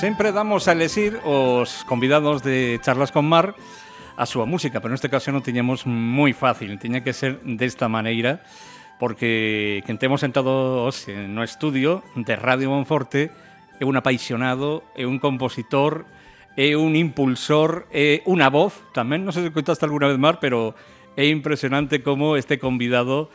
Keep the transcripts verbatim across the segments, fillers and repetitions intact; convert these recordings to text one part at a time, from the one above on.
Sempre damos a elexir os convidados de Charlas con Mar a súa música, pero neste caso non tiñamos moi fácil, tiña que ser desta maneira, porque quen temos sentado hoxe no estudio de Radio Monforte é un apaixonado, é un compositor, é un impulsor, é unha voz, tamén, non sei se contaste alguna vez, Mar, pero é impresionante como este convidado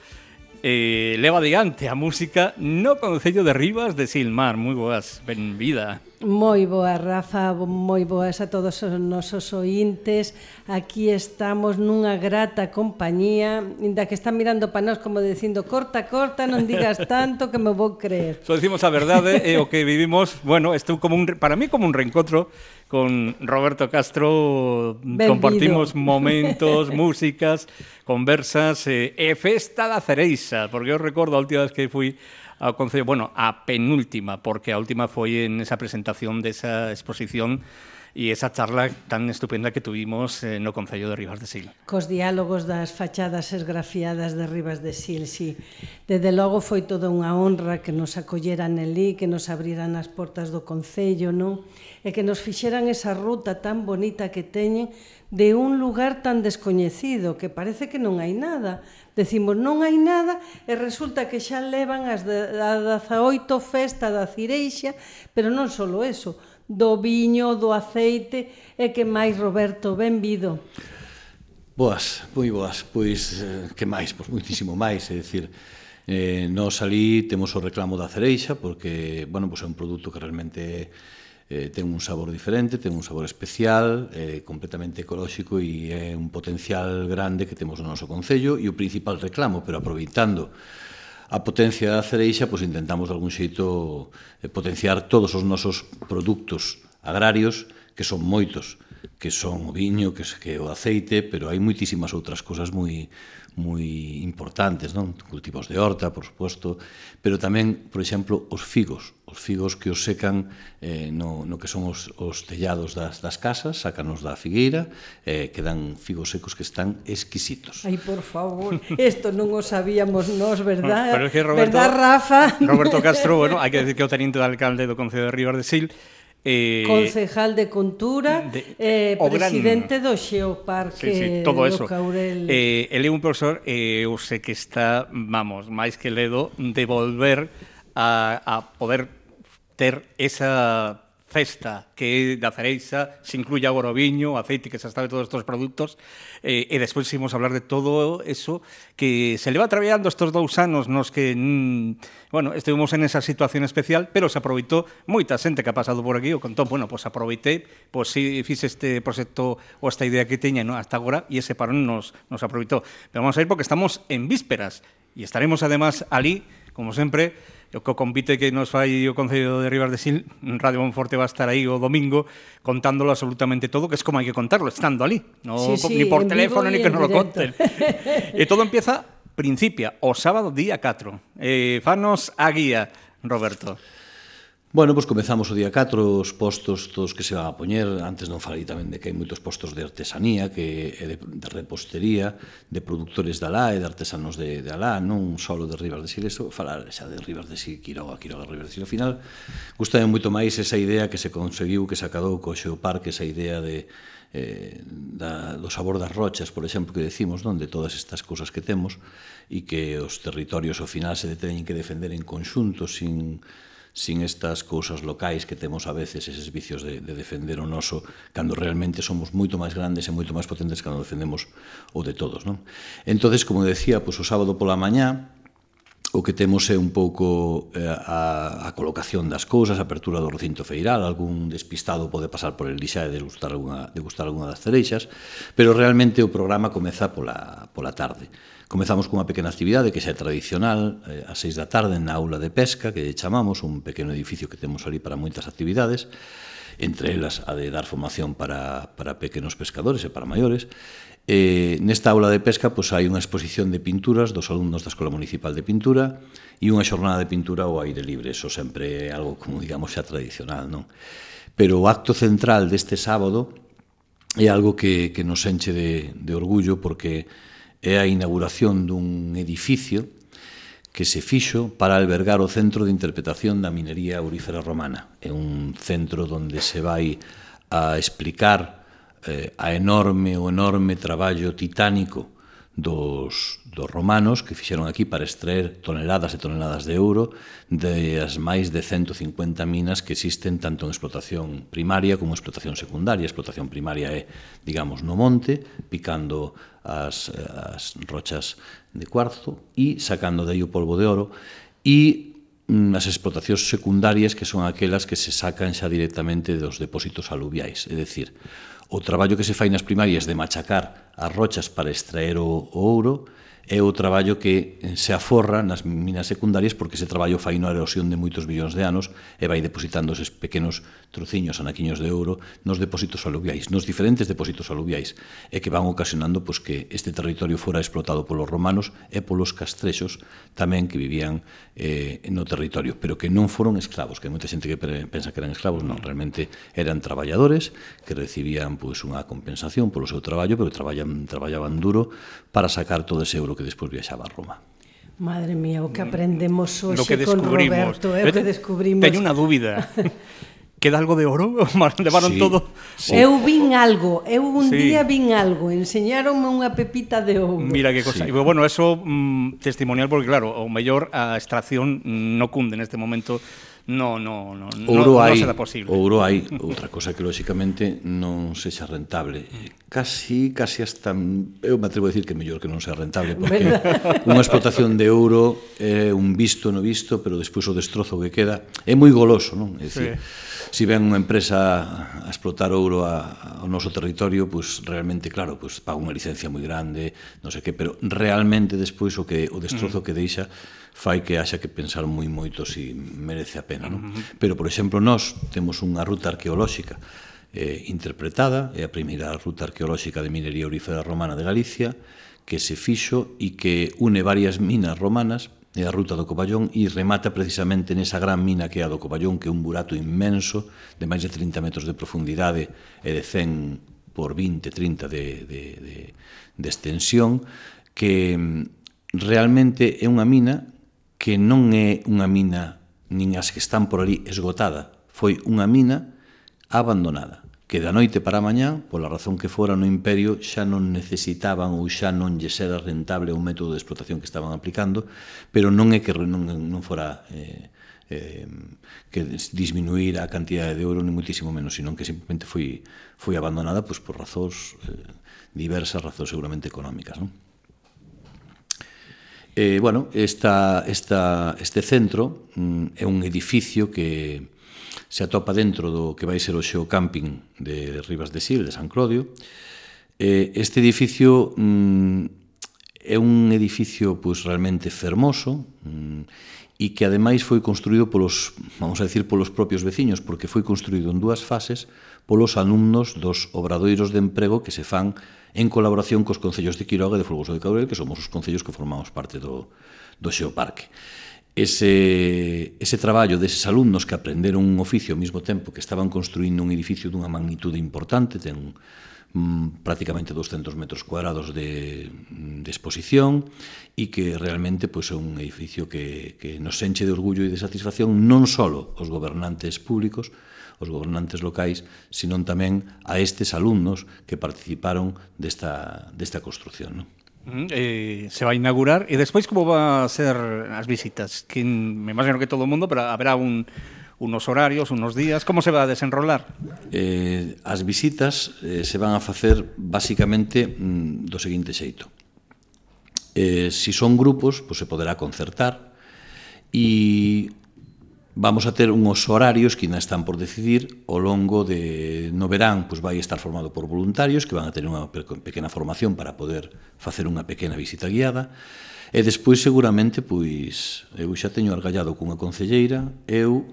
eh, leva adiante a música no Concello de Ribas de Sil. Mar, moi boas, benvida. Moi boa, Rafa, moi boas a todos os nosos ointes. Aquí estamos nunha grata compañía, inda que están mirando para nós como dicindo corta, corta, non digas tanto que me vou creer. Só dicimos a verdade e o que vivimos, bueno, isto como un, para mí como un reencontro con Roberto Castro. Benvido. Compartimos momentos, músicas, conversas e, e festa da cereixa, porque eu recordo a última vez que fui ao Concello, bueno, a penúltima, porque a última foi en esa presentación desa exposición e esa charla tan estupenda que tuvimos eh, no Concello de Ribas de Sil. Cos diálogos das fachadas esgrafiadas de Ribas de Sil, sí. Desde logo foi toda unha honra que nos acolleran elí, que nos abriran as portas do Concello, non? E que nos fixeran esa ruta tan bonita que teñen de un lugar tan descoñecido, que parece que non hai nada. Decimos, non hai nada, e resulta que xa levan as dezaoito festa da cireixa, pero non só eso, do viño, do aceite, e que máis, Roberto, benvido. Boas, moi boas, pois, que máis? Pois muitísimo máis, é dicir, eh, nós ali temos o reclamo da cereixa, porque, bueno, pois é un produto que realmente eh, ten un sabor diferente, ten un sabor especial, eh, completamente ecolóxico e é un potencial grande que temos no noso concello e o principal reclamo, pero aproveitando a potencia da cereixa, pois intentamos de algún xeito eh, potenciar todos os nosos produtos agrarios, que son moitos, que son o viño, que é o aceite, pero hai moitísimas outras cosas moi moi importantes, non? Cultivos de horta, por suposto, pero tamén, por exemplo, os figos, os figos que os secan eh, no, no que son os, os tellados das, das casas, sácanos da figueira, eh, que dan figos secos que están exquisitos. Ai, por favor, isto non o sabíamos nós, verdad? Pero es que Roberto, verdad, Rafa? Roberto Castro, bueno, hai que decir que é o teniente de alcalde do Concello de Ribas de Sil, Eh, concejal de Cultura, de, eh, presidente gran, do Xeoparque, sí, sí, todo do eso. Caurel. Eh, ele é un profesor, eh, eu sei que está, vamos, máis que ledo de volver a, a poder ter esa festa que da cereixa, se incluye agora o viño, o aceite, que se sabe todos estes produtos, eh, e despois imos hablar de todo eso que se leva traballando estes dous anos nos que, mm, bueno, estivemos en esa situación especial, pero se aproveitou moita xente que ha pasado por aquí, o contou, bueno, pois pues aproveitei, pois pues, si fixe este proxecto ou esta idea que teña, no, hasta agora, e ese parón nos, nos aproveitou. Pero vamos a ir porque estamos en vísperas, e estaremos además ali, como sempre, o que convite que nos fai o Concello de Ribas de Sil, Radio Monforte va a estar aí o domingo contándolo absolutamente todo, que es como hai que contarlo, estando ali, no, sí, sí, ni por teléfono, ni que nos lo conten. E todo empieza, principia, o sábado día catro. Eh, fanos a guía, Roberto. Bueno, pois comezamos o día catro, os postos todos que se van a poñer. Antes non falei tamén de que hai moitos postos de artesanía, que é de, de repostería, de produtores de alá e de artesanos de, de alá, non só de Ribas de Sil, eso, falar xa de Ribas de Sil, Quiroga, Quiroga, Ribas de Sil. Ao final, gustame moito máis esa idea que se conseguiu, que se acadou co Xeoparque, esa idea de eh, da, do sabor das rochas, por exemplo, que decimos, non? De todas estas cousas que temos e que os territorios ao final se teñen que defender en conxunto, sin sin estas cousas locais que temos a veces, eses vicios de, de defender o noso, cando realmente somos moito máis grandes e moito máis potentes cando defendemos o de todos, non? Entonces, como decía, pois, o sábado pola mañá, o que temos é un pouco eh, a, a colocación das cousas, a apertura do recinto feiral, algún despistado pode pasar por el xa e degustar alguna, degustar alguna das cereixas, pero realmente o programa comeza pola, pola tarde. Comezamos cunha pequena actividade que xa é tradicional, eh, ás seis da tarde na aula de pesca, que chamamos, un pequeno edificio que temos ali para moitas actividades, entre elas a de dar formación para, para pequenos pescadores e para maiores. Eh, nesta aula de pesca pois, hai unha exposición de pinturas dos alumnos da Escola Municipal de Pintura e unha xornada de pintura ao aire libre, eso sempre é algo, como digamos, xa tradicional, non? Pero o acto central deste sábado é algo que, que nos enche de, de orgullo, porque é a inauguración dun edificio que se fixo para albergar o Centro de Interpretación da Minería Aurífera Romana. É un centro onde se vai a explicar eh, a enorme, o enorme traballo titánico dos, dos romanos que fixeron aquí para extraer toneladas e toneladas de ouro de as máis de ciento cincuenta minas que existen tanto en explotación primaria como en explotación secundaria. A explotación primaria é, digamos, no monte, picando as, as rochas de cuarzo e sacando de aí o polvo de oro, e as explotacións secundarias que son aquelas que se sacan xa directamente dos depósitos aluviais, é dicir, o traballo que se fai nas primarias de machacar as rochas para extraer o, o ouro é o traballo que se aforra nas minas secundarias, porque ese traballo fai na erosión de moitos millóns de anos e vai depositando eses pequenos trociños, anaquiños de ouro nos depósitos aluviais, nos diferentes depósitos aluviais, e que van ocasionando pois, que este territorio fora explotado polos romanos e polos castrexos tamén que vivían eh, no territorio, pero que non foron esclavos, que hai moita xente que pensa que eran esclavos, non, realmente eran traballadores que recibían pois, unha compensación polo seu traballo, pero traballaban, traballaban duro para sacar todo ese euro que despois viaxaba a Roma. Madre mía, o que aprendemos hoxe que con Roberto, é o que descubrimos. Teño unha dúbida. Queda algo de oro? Levaron sí, todo? Sí. Eu vin algo, eu un sí. día vin algo, enseñaronme unha pepita de ouro. Mira que cosa. Sí. Bueno, eso mmm, testimonial, porque claro, o mellor a extracción no cunde neste momento. No, no, no, ouro no, hai, non será posible. Ouro hai, outra cosa que lóxicamente non sexa rentable. Casi, casi hasta, eu me atrevo a decir que é mellor que non sea rentable, porque unha explotación de ouro é un visto no visto, pero despois o destrozo que queda é moi goloso, non? É dicir, sí. Se ven unha empresa a explotar ouro a, ao noso territorio, pois realmente, claro, pois paga unha licencia moi grande, non sei que, pero realmente despois o que o destrozo mm. que deixa fai que haxa que pensar moi moito se merece a pena, non? Uh-huh. Pero, por exemplo, nós temos unha ruta arqueolóxica eh, interpretada, é a primeira ruta arqueolóxica de minería aurífera romana de Galicia, que se fixo e que une varias minas romanas, é a ruta do Covallón, e remata precisamente nesa gran mina que é a do Covallón, que é un burato inmenso, de máis de trinta metros de profundidade e de cen por vinte, trinta de, de, de, de extensión, que realmente é unha mina que non é unha mina nin as que están por ali esgotada, foi unha mina abandonada, que da noite para a mañá, pola razón que fora no Imperio, xa non necesitaban ou xa non lle era rentable o método de explotación que estaban aplicando, pero non é que non, non fora eh, eh, que disminuir a cantidade de ouro, ni muitísimo menos, sino que simplemente foi, foi abandonada pois, por razóns eh, diversas, razóns seguramente económicas, non? Eh, bueno, esta, esta, este centro mm, é un edificio que se atopa dentro do que vai ser o xeocamping de Ribas de Sil, de San Clodio. Eh, este edificio mm, é un edificio pues, realmente fermoso mm, e que ademais foi construído polos, vamos a decir, polos propios veciños, porque foi construído en dúas fases polos alumnos dos obradoiros de emprego que se fan en colaboración cos concellos de Quiroga e de Folgoso de Cabrel, que somos os concellos que formamos parte do, do Xeoparque. Ese, ese traballo deses alumnos que aprenderon un oficio ao mesmo tempo que estaban construindo un edificio dunha magnitude importante, ten mm, prácticamente doscientos metros cuadrados de, de exposición e que realmente pois, é un edificio que, que nos enche de orgullo e de satisfacción non só os gobernantes públicos, os gobernantes locais, sino tamén a estes alumnos que participaron desta, desta construción, non? Eh, se va a inaugurar e despois como va a ser as visitas? Que me imagino que todo o mundo, pero haberá un, unos horarios, unos días, como se va a desenrolar? Eh, as visitas eh, se van a facer basicamente mm, do seguinte xeito. Eh, si son grupos, pues se poderá concertar e vamos a ter uns horarios que ainda están por decidir ao longo de no verán, pois vai estar formado por voluntarios que van a ter unha pequena formación para poder facer unha pequena visita guiada e despois seguramente pois eu xa teño argallado cunha concelleira, eu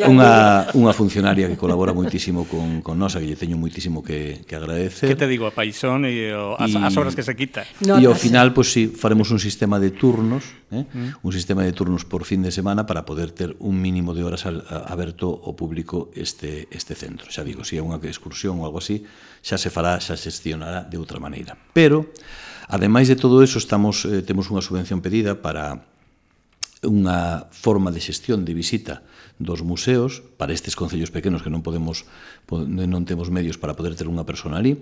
unha, unha funcionaria que colabora moitísimo con, con nosa, que lle teño moitísimo que, que agradecer. Que te digo, a paisón e o, as, as horas que se quita. E ao final, pois si, faremos un sistema de turnos, eh? mm. un sistema de turnos por fin de semana para poder ter un mínimo de horas al, a, aberto ao público este, este centro. Xa digo, se é unha excursión ou algo así, xa se fará, xa se gestionará de outra maneira. Pero, ademais de todo eso, estamos, eh, temos unha subvención pedida para unha forma de xestión de visita dos museos para estes concellos pequenos que non podemos non temos medios para poder ter unha persona ali,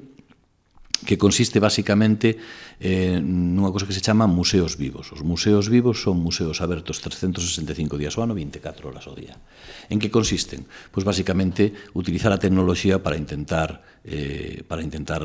que consiste basicamente eh, nunha cosa que se chama museos vivos. Os museos vivos son museos abertos trescentos sesenta e cinco días ao ano, vinte e catro horas ao día. En que consisten? Pois basicamente utilizar a tecnoloxía para intentar eh, para intentar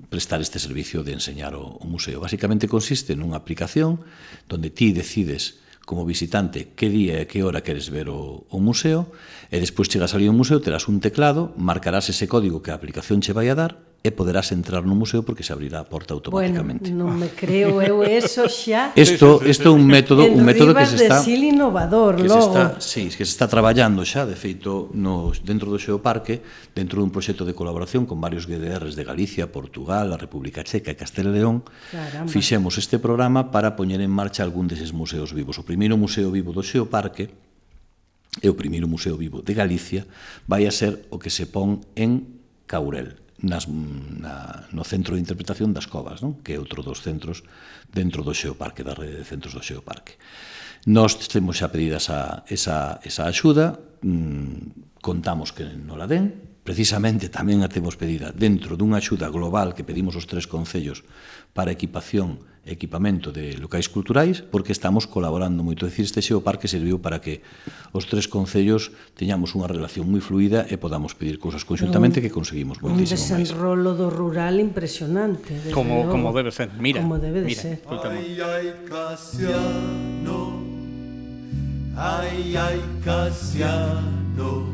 prestar este servicio de enseñar o, o museo. Basicamente consiste nunha aplicación donde ti decides como visitante que día e que hora queres ver o, o museo, e despois chegas ali ao museo, terás un teclado, marcarás ese código que a aplicación che vai a dar e poderás entrar no museo porque se abrirá a porta automáticamente. Bueno, non me creo eu eso xa. Isto isto é un método, un método que se está En Rivas de Sil innovador, que logo. se está, sí, que se está traballando xa, de feito, no dentro do Xeoparque, dentro dun proxecto de colaboración con varios G D Rs de Galicia, Portugal, a República Checa e Castela e León. Caramba. Fixemos este programa para poñer en marcha algún deses museos vivos. O primeiro museo vivo do Xeoparque e o primeiro museo vivo de Galicia vai a ser o que se pon en Caurel, nas, na, no Centro de Interpretación das Covas, non? Que é outro dos centros dentro do Xeoparque, da rede de centros do Xeoparque. Nós temos xa pedida esa, esa, esa axuda, mmm, contamos que non la den, precisamente tamén a temos pedida dentro dunha axuda global que pedimos os tres concellos para equipación e equipamento de locais culturais, porque estamos colaborando moito. É dicir, este Xeoparque serviu para que os tres concellos teñamos unha relación moi fluida e podamos pedir cousas conxuntamente que conseguimos moitísimo máis. Un desenrolo do rural impresionante. Como, como debe ser, mira. Como debe de mira, ser. Ay, ay, Casiano, ay, ay, Casiano,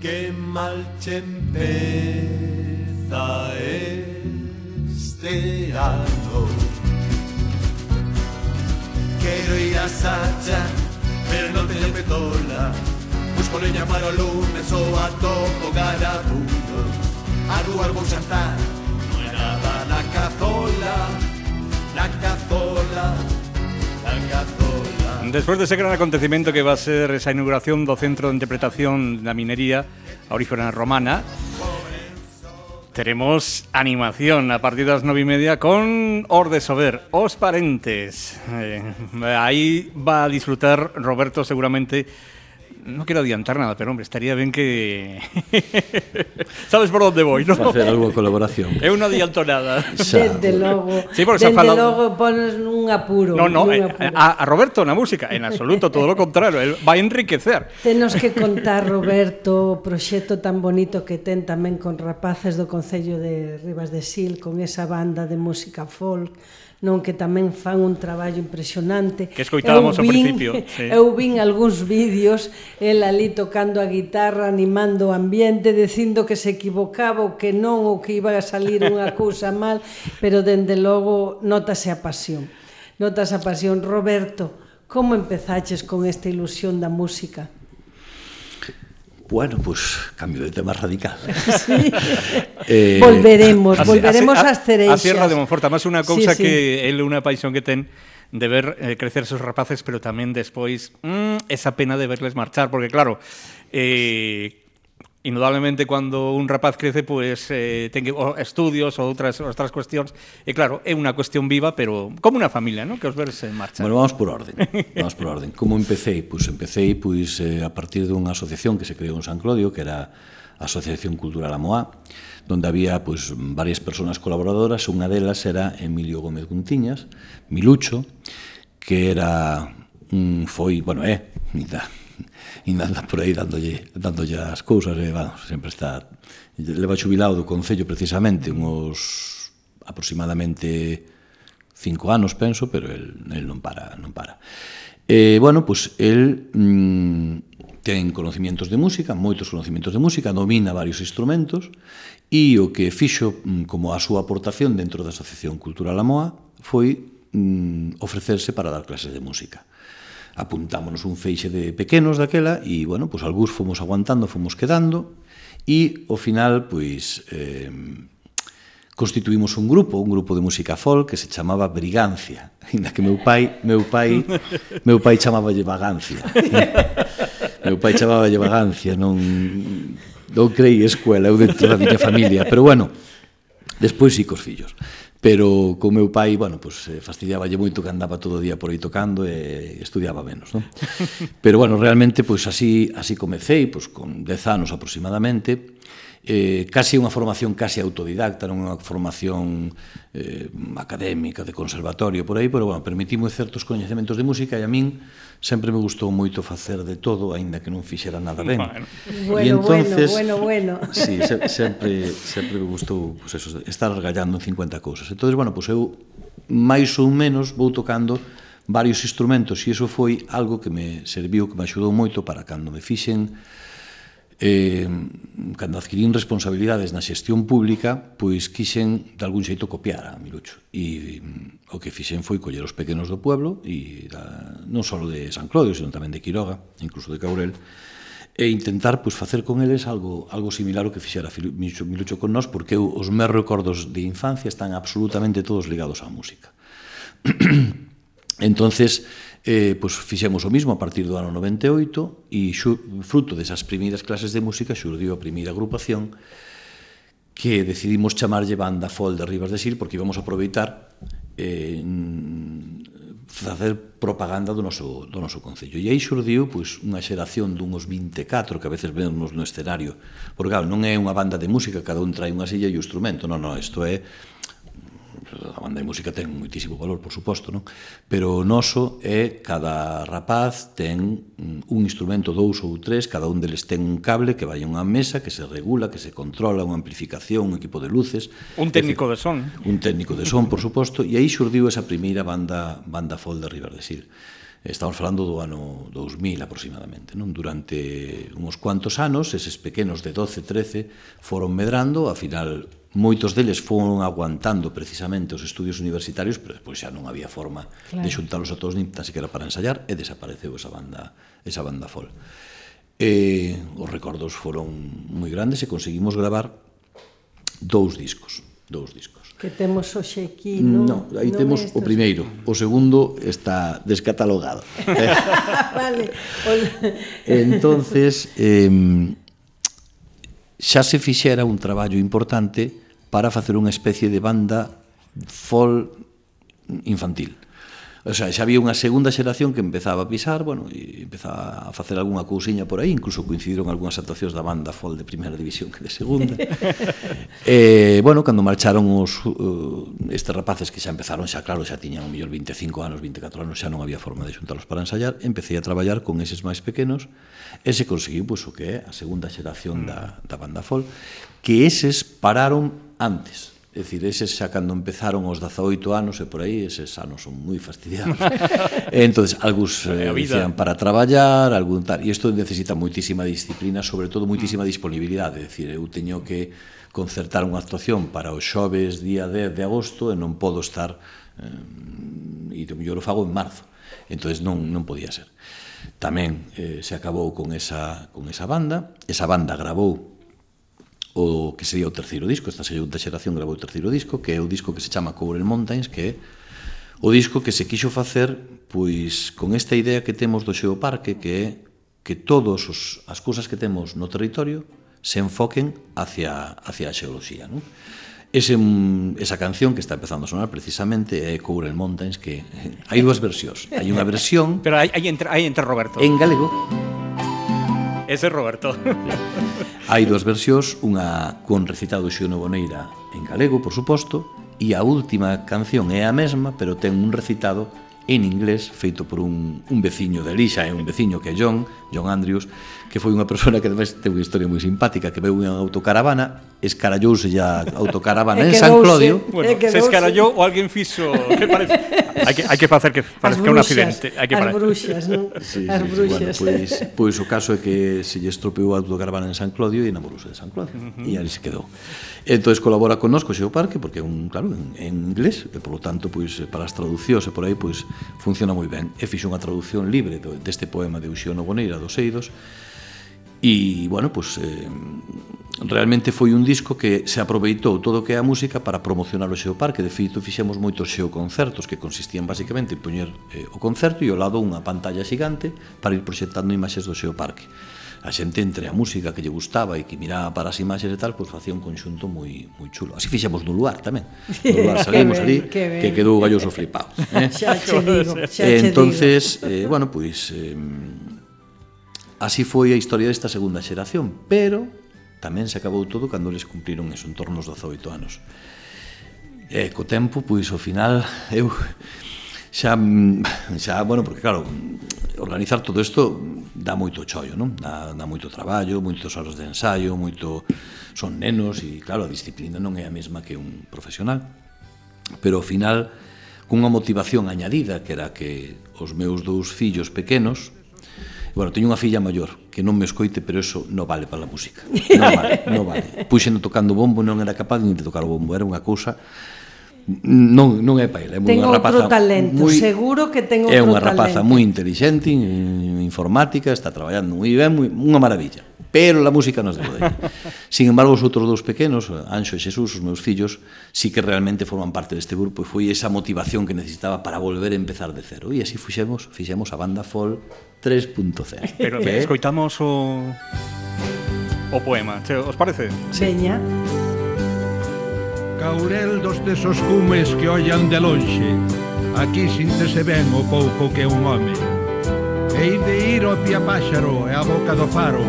que mal che empeza este ano. Quero ir a Sacha, pero non teño petola. Busco leña para o lume, só atopo garabundo. A rúa vou xantar, non é nada na cazola, na cazola, na cazola. Despois dese gran acontecimento que va a ser esa inauguración do Centro de Interpretación da Minería Aurífera Romana, teremos animación a partir das nove e media con Os de Sober, Os Parentes. Eh, aí va a disfrutar Roberto seguramente. No quiero adiantar nada, pero hombre, estaría ben que... Sabes por onde voy, non? Facer algo de colaboración. Eu non adianto nada. Desde logo, Sí, porque se ha desde falado... logo pones nun apuro. No, no, nun eh, apuro. a, a Roberto na música, en absoluto, todo lo contrario, él va a enriquecer. Tenos que contar, Roberto, o proxecto tan bonito que ten tamén con rapaces do Concello de Rivas de Sil, con esa banda de música folk, non, que tamén fan un traballo impresionante. Que escoitábamos Eu ao vin- principio, sí. Eu vin algúns vídeos, el ali tocando a guitarra, animando o ambiente, dicindo que se equivocaba ou que non, ou que iba a salir unha cousa mal, pero dende logo notase a pasión. Notas a pasión. Roberto, como empezaches con esta ilusión da música? Bueno, pues cambio de tema radical. Sí. eh, volveremos, Así- volveremos así- ás cereixas. A Sierra de Monforte, máis unha cousa Sí, sí. que é unha paixón que ten de ver eh, crecer seus rapaces, pero tamén despois mm, esa pena de verles marchar, porque claro, eh, indudablemente cando un rapaz crece, pues eh, ten que, o estudios ou outras outras cuestións, e claro, é unha cuestión viva, pero como unha familia, ¿no? Que os veres en marcha. Bueno, vamos por orden. Vamos por orden. Como empecé? Pois pues empecé pois, eh, a partir dunha asociación que se creou en San Clodio, que era a Asociación Cultural Amoá, donde había pois, varias persoas colaboradoras. Unha delas era Emilio Gómez Guntiñas, Milucho, que era un foi, bueno, é, eh, e anda por aí dándolle, dándolle as cousas, e, bueno, sempre está... Leva xubilado do Concello precisamente uns aproximadamente cinco anos, penso, pero el, el non para, non para. E, bueno, pois, el mm, ten conocimientos de música, moitos conocimientos de música, domina varios instrumentos, e o que fixo mm, como a súa aportación dentro da Asociación Cultural Amoá foi mm, ofrecerse para dar clases de música. Apuntámonos un feixe de pequenos daquela e, bueno, pois algúns fomos aguantando, fomos quedando e, ao final, pois, eh, constituímos un grupo, un grupo de música folk que se chamaba Brigancia, ainda que meu pai, meu pai, meu pai chamáballe Vagancia. Meu pai chamáballe Vagancia, non non creí escuela eu dentro da miña familia, pero bueno, despois sí cos fillos. pero co meu pai, bueno, pues fastidiaballe moito que andaba todo o día por aí tocando e estudiaba menos, non? Pero bueno, realmente pues así así comecei, pues con dez anos aproximadamente. Eh, casi unha formación casi autodidacta, non unha formación eh, académica, de conservatorio, por aí, pero, bueno, permitimos certos coñecementos de música e a min sempre me gustou moito facer de todo, aínda que non fixera nada ben. Bueno, bueno, entonces, bueno, bueno, bueno. Sí, se, sempre, sempre me gustou pues eso, estar argallando en cincuenta cousas. Entón, bueno, pues eu máis ou menos vou tocando varios instrumentos e iso foi algo que me serviu, que me axudou moito para cando me fixen Eh, cando adquirín responsabilidades na xestión pública, pois quixen de algún xeito copiar a Milucho e o que fixen foi coller os pequenos do pueblo e da, non só de San Clodio, sino tamén de Quiroga, incluso de Caurel, e intentar pois facer con eles algo algo similar ao que fixera Milucho, Milucho con nós, porque eu, os meus recordos de infancia están absolutamente todos ligados á música. Entonces, eh, pues fixemos o mismo a partir do ano noventa e oito e xu, fruto desas primeiras clases de música xurdiu a primeira agrupación que decidimos chamarlle Banda Folk de Ribas de Sil porque íbamos a aproveitar eh, facer propaganda do noso, do noso concello. E aí xurdiu pues, unha xeración dunhos vinte e catro que a veces vemos no escenario, porque claro, non é unha banda de música, cada un trae unha silla e o instrumento, non, non, isto é a banda de música ten moitísimo valor, por suposto, non? Pero o noso é cada rapaz ten un instrumento, dous ou tres, cada un deles ten un cable que vai a unha mesa, que se regula, que se controla, unha amplificación, un equipo de luces. Un técnico de son. Un técnico de son, por suposto, e aí xurdiu esa primeira banda, banda folk de Ribas de Sil. Estamos falando do ano dous mil aproximadamente, non? Durante uns cuantos anos, eses pequenos de doce, trece foron medrando, a final moitos deles foron aguantando precisamente os estudios universitarios, pero despois xa non había forma claro. de xuntalos a todos nin tan siquiera para ensayar e desapareceu esa banda, esa banda folk. E os recordos foron moi grandes e conseguimos gravar dous discos, dous discos. Que temos hoxe aquí, non? No, aí non temos o primeiro, o segundo está descatalogado. Vale. Entonces, eh, xa se fixera un traballo importante para facer unha especie de banda folk infantil. O sea, xa había unha segunda xeración que empezaba a pisar, bueno, e empezaba a facer algunha cousiña por aí, incluso coincidiron algunhas actuacións da banda folk de primeira división que de segunda. E, bueno, cando marcharon os uh, estes rapaces que xa empezaron, xa claro, xa tiñan o mellor vinte e cinco anos, vinte e catro anos, xa non había forma de xuntalos para ensayar, empecé a traballar con eses máis pequenos e se conseguiu, pois, o que é a segunda xeración da, da banda folk, que eses pararon antes. É dicir, eses xa cando empezaron os dezaoito anos e por aí, eses anos son moi fastidiados. Entón, algúns eh, dicían para traballar, algún tal, e isto necesita moitísima disciplina, sobre todo moitísima disponibilidade, é dicir, eu teño que concertar unha actuación para os xoves día dez de agosto e non podo estar, eh, e do mellor o fago en marzo, entón non, non podía ser. Tamén eh, se acabou con esa, con esa banda, esa banda gravou o que sería o terceiro disco, esta segunda xeración gravou o terceiro disco, que é o disco que se chama Courel Mountains, que é o disco que se quixo facer pois con esta idea que temos do xeoparque, que é que todas as cousas que temos no territorio se enfoquen hacia, hacia a xeoloxía, non? Ese, esa canción que está empezando a sonar precisamente é Courel Mountains, que hai dúas versións. Hai unha versión... Pero hai, hai, entre, hai entre Roberto. En galego. Ese é Roberto. Hai dúas versións, unha con recitado Xio Boneira en galego, por suposto, e a última canción é a mesma, pero ten un recitado en inglés feito por un, un veciño de Lixa, é un veciño que é John, John Andrews, que foi unha persona que además ten unha historia moi simpática, que veu unha autocaravana, escarallouse a autocaravana en San Clodio. Bueno, se escarallou ou alguén fixo, que parece? Hai que, hai que facer que parezca un accidente. Hai que as bruxas, non? Sí, as sí, bruxas. Sí, bueno, pois, pois o caso é que se lle estropeou a autocaravana en San Clodio e enamorouse de San Clodio. Uh -huh. E ali se quedou. Entón, colabora connosco Xeoparque, porque é un, claro, en, en inglés, e por lo tanto, pois, para as traducións e por aí, pois, funciona moi ben. E fixo unha traducción libre deste poema de Uxío Boneira, dos Eidos, e, bueno, pois, eh, realmente foi un disco que se aproveitou todo o que é a música para promocionar o Xeoparque. De feito, fixemos moitos xeoconcertos que consistían basicamente en poñer eh, o concerto e ao lado unha pantalla xigante para ir proxectando imaxes do Xeoparque. a xente entre a música que lle gustaba e que miraba para as imaxes e tal, pois facía un conxunto moi moi chulo. Así fixemos no lugar tamén. No lugar salimos ali, que quedou o galloso flipado. Eh? Xa che digo, xa che digo. Entonces, eh, bueno, pois eh, así foi a historia desta segunda xeración, pero tamén se acabou todo cando eles cumpriron eso, en torno aos dezoito anos. E co tempo, pois, ao final, eu xa, xa, bueno, porque claro, organizar todo isto dá moito chollo, non? Dá, dá moito traballo, moitos horas de ensaio, moito... Son nenos e, claro, a disciplina non é a mesma que un profesional. Pero, ao final, cunha motivación añadida, que era que os meus dous fillos pequenos... Bueno, teño unha filla maior, que non me escoite, pero eso non vale para a música. Non vale, non vale. Puxeno tocando bombo, non era capaz de tocar o bombo, era unha cousa... Non, non é para ele, é unha rapaza talento, moi, seguro que ten outro talento. É unha talento. rapaza moi inteligente, en informática, está traballando moi ben, moi, unha maravilla. Pero a música non se pode. Sin embargo, os outros dous pequenos, Anxo e Xesús, os meus fillos, sí que realmente forman parte deste grupo e foi esa motivación que necesitaba para volver a empezar de cero. E así fixemos, fixemos a banda Folk tres punto cero. Pero que escoitamos o o poema, che, os parece? Veña. Caurel dos tesos cumes que ollan de lonxe, aquí síntese ben o pouco que é un home. Hei de ir ao pia páxaro e a boca do faro,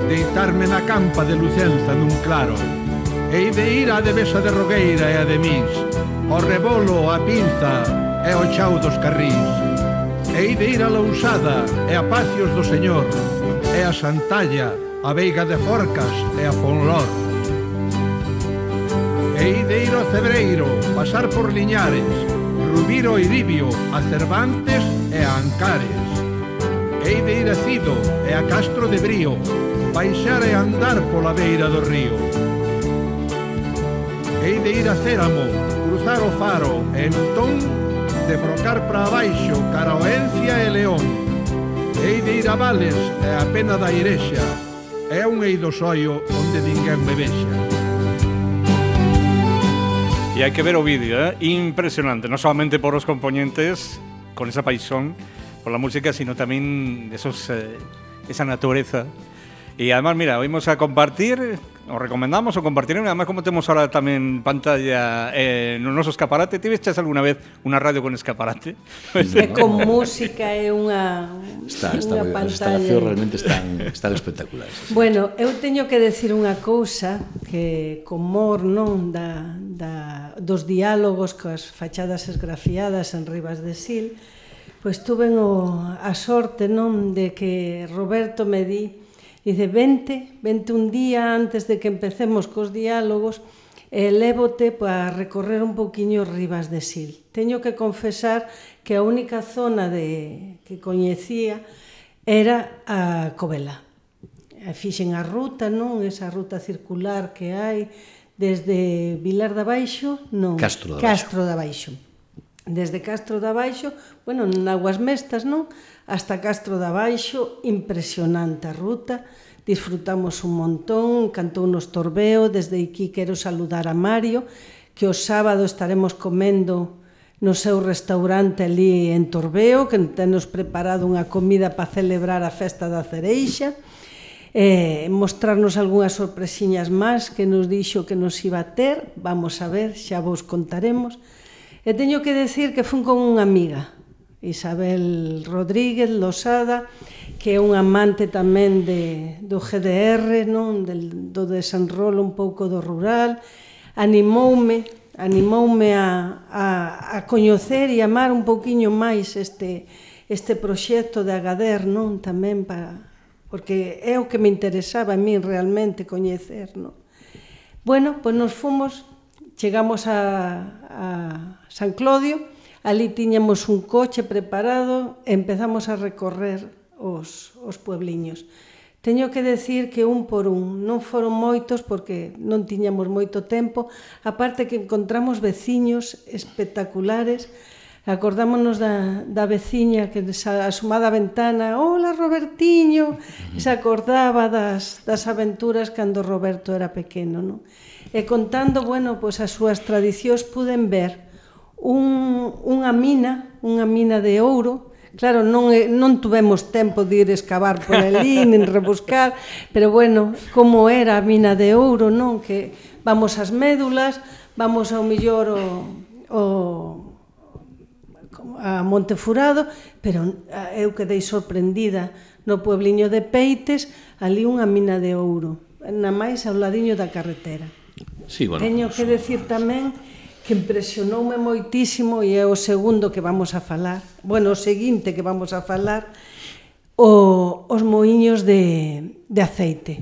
deitarme na campa de Lucenza nun claro. Hei de ir á devesa de Rogueira e a de Mis, ao rebolo, a pinza e ao chao dos carrís. Hei de ir a Lousada e a Pacios do Señor, e a Santalla, a Veiga de Forcas e a Fonlor. Hei de ir ao Cebreiro, pasar por Liñares, Rubiro e Iribio, a Cervantes e a Ancares. Hei de ir a Cido e a Castro de Brío, baixar e andar pola beira do río. Hei de ir a Céramo, cruzar o Faro e entón de brocar para abaixo cara ao Encia e León. Hei de ir a Vales e a Pena da Irexa, é un eido soio onde ninguén me vexa. E hai que ver o vídeo, ¿eh? Impresionante, non solamente por os componentes con esa paixón por la música, sino tamén esos, eh, esa natureza. E además, mira, vamos a compartir, os recomendamos o compartir, además como temos ahora tamén pantalla eh, no noso escaparate. Ti vestes alguna vez unha radio con escaparate? É con música, é unha, está, está unha moi, pantalla. As instalacións realmente están, están espectaculares. Bueno, eu teño que decir unha cousa que con mor, non, da, da, dos diálogos coas fachadas esgrafiadas en Ribas de Sil, pois tuven o, a sorte, non, de que Roberto me di, dice, vente, vente un día antes de que empecemos cos diálogos e lévote para recorrer un pouquiño Ribas de Sil. Teño que confesar que a única zona de, que coñecía era a Covela. Fixen a ruta, non? Esa ruta circular que hai desde Vilar de Abaixo, non, Castro de Abaixo. Castro de Abaixo. Desde Castro de Abaixo, bueno, en Aguas Mestas, non? Hasta Castro de Abaixo, impresionante a ruta, disfrutamos un montón, cantou nos Torbeo, desde aquí quero saludar a Mario, que o sábado estaremos comendo no seu restaurante ali en Torbeo, que tenos preparado unha comida para celebrar a festa da cereixa, eh, mostrarnos algunhas sorpresiñas máis que nos dixo que nos iba a ter, vamos a ver, xa vos contaremos. E teño que decir que fun con unha amiga, Isabel Rodríguez Losada, que é unha amante tamén de, do G D R, non? Del, do desenrolo un pouco do rural, animoume, animoume a, a, a coñecer e amar un pouquiño máis este, este proxecto de Agader, non? Tamén para, porque é o que me interesaba a mí realmente coñecer, non? Bueno, pois nos fomos, chegamos a, a San Clodio, ali tiñamos un coche preparado e empezamos a recorrer os, os puebliños. Teño que decir que un por un, non foron moitos porque non tiñamos moito tempo, aparte que encontramos veciños espectaculares. Acordámonos da, da veciña que asomada a ventana, hola Robertiño, e se acordaba das, das aventuras cando Roberto era pequeno, non? E contando, bueno, pois as súas tradicións puden ver un, unha mina, unha mina de ouro, Claro, non, non tuvemos tempo de ir escavar por ali, nin rebuscar, pero bueno, como era a mina de ouro, non? Que vamos ás médulas, vamos ao millor o, o, a Montefurado, pero eu quedei sorprendida no puebliño de Peites, ali unha mina de ouro, na máis ao ladiño da carretera. Sí, bueno, teño que decir tamén que impresionoume moitísimo, e é o segundo que vamos a falar, bueno, o seguinte que vamos a falar, o, os moiños de, de aceite.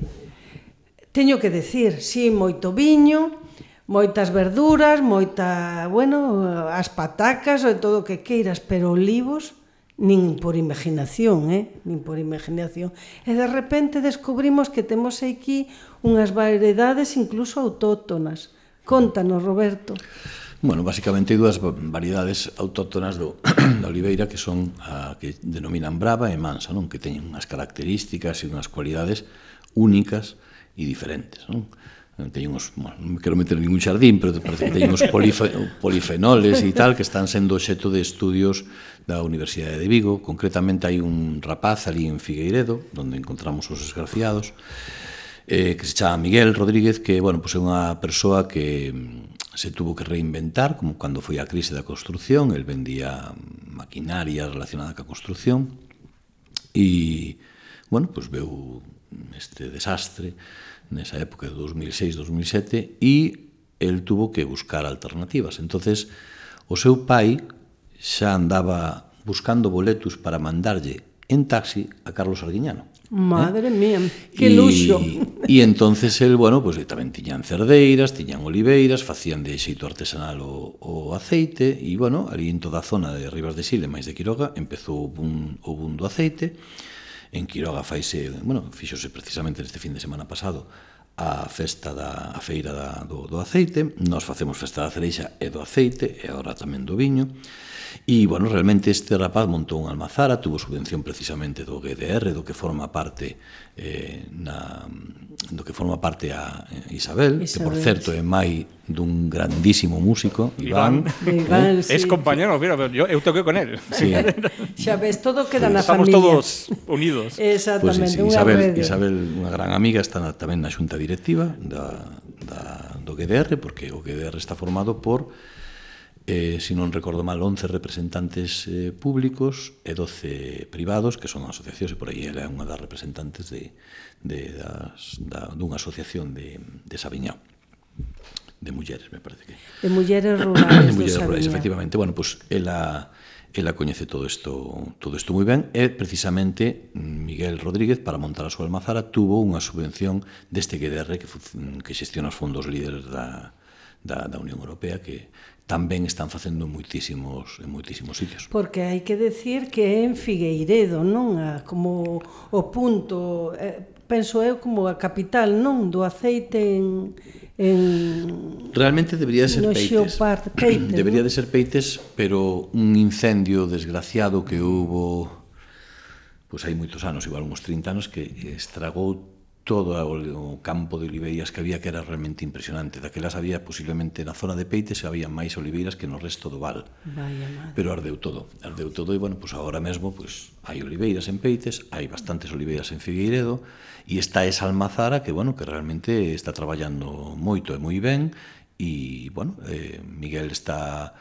Teño que decir, sí, moito viño, moitas verduras, moita, bueno, as patacas, e todo o que queiras, pero olivos, nin por imaginación, eh? nin por imaginación. E de repente descubrimos que temos aquí unhas variedades incluso autóctonas. Contanos, Roberto. Bueno, basicamente hai dúas variedades autóctonas do, da oliveira que son a que denominan brava e mansa, non? Que teñen unhas características e unhas cualidades únicas e diferentes, non? Teñen uns, bueno, non me quero meter en ningún xardín, pero parece que teñen uns polife, polifenoles e tal que están sendo obxecto de estudios da Universidade de Vigo. Concretamente hai un rapaz ali en Figueiredo, onde encontramos os esgrafiados, eh, que se chama Miguel Rodríguez, que, bueno, pues é unha persoa que se tuvo que reinventar, como cando foi a crise da construcción. El vendía maquinaria relacionada ca construcción e, bueno, pues veu este desastre nesa época de dos mil seis dos mil sete e el tuvo que buscar alternativas. Entonces, o seu pai xa andaba buscando boletos para mandarlle en taxi a Carlos Arguiñano. Madre eh? mía, que luxo. E entonces el, bueno, pues tamén tiñan cerdeiras, tiñan oliveiras, facían de xeito artesanal o, o aceite, e, bueno, ali en toda a zona de Ribas de Sil, máis de Quiroga, empezou o boom, o boom do aceite. En Quiroga faise, bueno, fíxose precisamente neste fin de semana pasado a festa da a feira da, do, do aceite. Nós facemos festa da cereixa e do aceite, e agora tamén do viño. E, bueno, realmente este rapaz montou unha almazara, tuvo subvención precisamente do G D R, do que forma parte eh, na, do que forma parte a Isabel, Isabel, que por certo é mai dun grandísimo músico, Iván. Iván, eh? Sí. Es compañero, mira, yo, eu toquei con él. Sí. Xa ves, todo queda na Estamos familia. Estamos todos unidos. Exactamente, pues sí, sí, unha Isabel, rede. Isabel, unha gran amiga, está na, tamén na xunta directiva da, da, do G D R, porque o G D R está formado por Eh, se non recordo mal, once representantes eh, públicos e doce privados, que son asociacións, e por aí ela é unha das representantes de, de, das, da, dunha asociación de, de Sabiñao, de mulleres, me parece que. De mulleres rurales de mulleres do rurales, Sabiñao. efectivamente. Bueno, pues ela, ela coñece todo isto, todo isto moi ben, e precisamente Miguel Rodríguez, para montar a súa almazara, tuvo unha subvención deste G D R que, que xestiona os fondos líderes da, da, da Unión Europea, que tamén están facendo en moitísimos, en moitísimos sitios. Porque hai que decir que é en Figueiredo, non? A, como o punto, eh, penso eu, como a capital, non? Do aceite en... en Realmente debería de ser no Peites. Xeopart, Peites. Debería ¿no? de ser Peites, pero un incendio desgraciado que hubo, pois hai moitos anos, igual uns trinta anos, que estragou todo o campo de oliveiras que había, que era realmente impresionante. Daquelas había, posiblemente, na zona de Peites, había máis oliveiras que no resto do val. Vaya madre. Pero ardeu todo, ardeu todo, e, bueno, pues agora mesmo pues, hai oliveiras en Peites, hai bastantes oliveiras en Figueiredo, e está esa almazara que, bueno, que realmente está traballando moito e moi ben, e, bueno, eh, Miguel está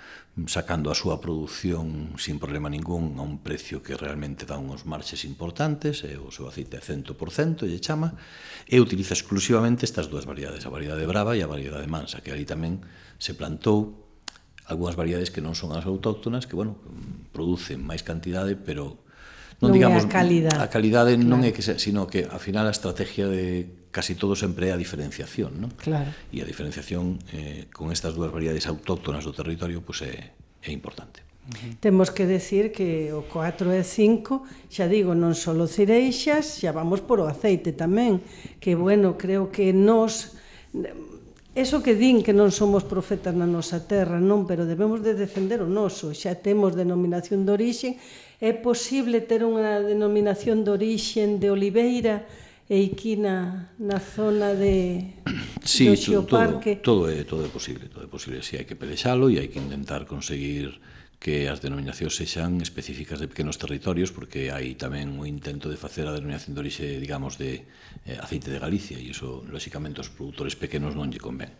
sacando a súa produción sin problema ningún a un precio que realmente dá uns marxes importantes, e o seu aceite é cento por cento, lle chama, e utiliza exclusivamente estas dúas variedades, a variedade brava e a variedade mansa, que ali tamén se plantou algunhas variedades que non son as autóctonas, que, bueno, producen máis cantidade, pero non, non digamos, é a calidade. A calidade claro. non é que se, sino que, ao final, a estrategia de casi todo sempre é a diferenciación, non? Claro. E a diferenciación eh, con estas dúas variedades autóctonas do territorio, pois pues, é, é importante. Uh-huh. Temos que decir que o catro e cinco, xa digo, non só cereixas, xa vamos por o aceite tamén, que, bueno, creo que nos... Eso que din que non somos profetas na nosa terra, non, pero debemos de defender o noso. Xa temos denominación de orixe. É posible ter unha denominación de orixe de oliveira e aquí na, na zona de sí, do todo, Xeoparque? todo, todo, é, todo é posible, todo é posible. Si, sí, hai que pelexalo e hai que intentar conseguir que as denominacións sexan específicas de pequenos territorios, porque hai tamén o intento de facer a denominación de orixe, digamos, de eh, aceite de Galicia, e iso, lóxicamente, aos produtores pequenos non lle convén.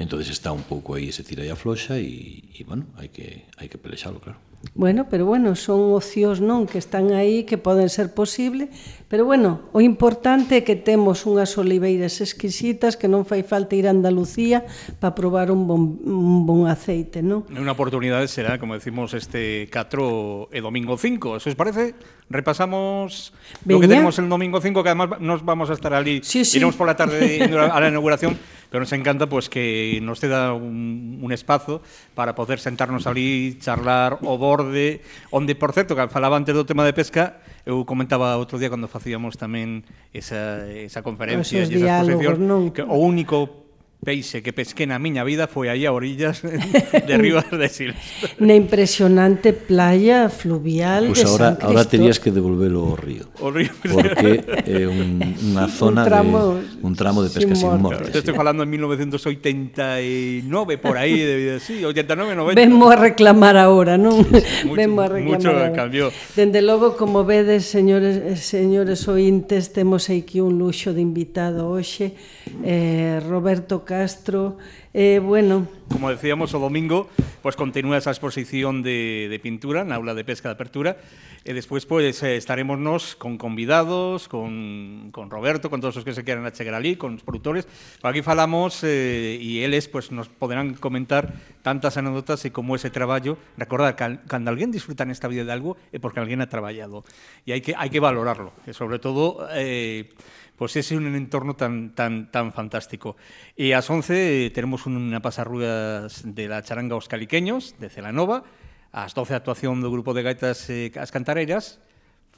Entón, está un pouco aí ese tira e afloxa e, e bueno, hai que, hai que pelexalo, claro. Bueno, pero bueno, son ocios, non, que están aí, que poden ser posible, pero bueno, o importante é que temos unhas oliveiras exquisitas, que non fai falta ir a Andalucía para probar un bon, un bon aceite, non? Unha oportunidade será, como decimos, este catro e domingo cinco. Se os parece, repasamos lo que tenemos el domingo cinco, que además nos vamos a estar ali, sí, sí. iremos por la tarde a la inauguración, pero nos encanta pues que nos ceda un, un espazo para poder sentarnos ali, charlar o borde, onde, por certo, que falaba antes do tema de pesca, eu comentaba outro día cando facíamos tamén esa, esa conferencia e esa exposición, que o único peixe que pesqué na miña vida foi aí a orillas de Ribas de Sil. Na impresionante playa fluvial pues de ahora, San Cristo. Ahora terías que devolvelo ao río. O río. Porque é un, unha zona un tramo, de un tramo de pesca sin morte. Te estoy falando en mil novecientos oitenta y nueve, por aí, de, sí, ochenta y nueve, noventa. Vemos a reclamar ahora, non? Mucho, Vemos a reclamar mucho ahora. Cambió. Dende logo, como vedes, señores, señores ointes, temos aquí un luxo de invitado hoxe, eh, Roberto Castro, eh, bueno... Como decíamos, o domingo, pues continúa esa exposición de, de pintura na aula de pesca de apertura, e despois pues, eh, estaremos nos con convidados, con, con Roberto, con todos os que se queran achegar ali, con os produtores. Por aquí falamos eh, e eles pues, nos poderán comentar tantas anécdotas e como ese traballo. Recordar que cando alguén disfruta nesta vida de algo é porque alguén ha traballado e hai que, hai que valorarlo, e sobre todo... Eh, Pois pues ese é un entorno tan tan tan fantástico. E ás once eh, tenemos unha pasarrugas de la charanga Os Caliqueños, de Celanova, ás doce actuación do grupo de gaitas eh, As Cantareiras,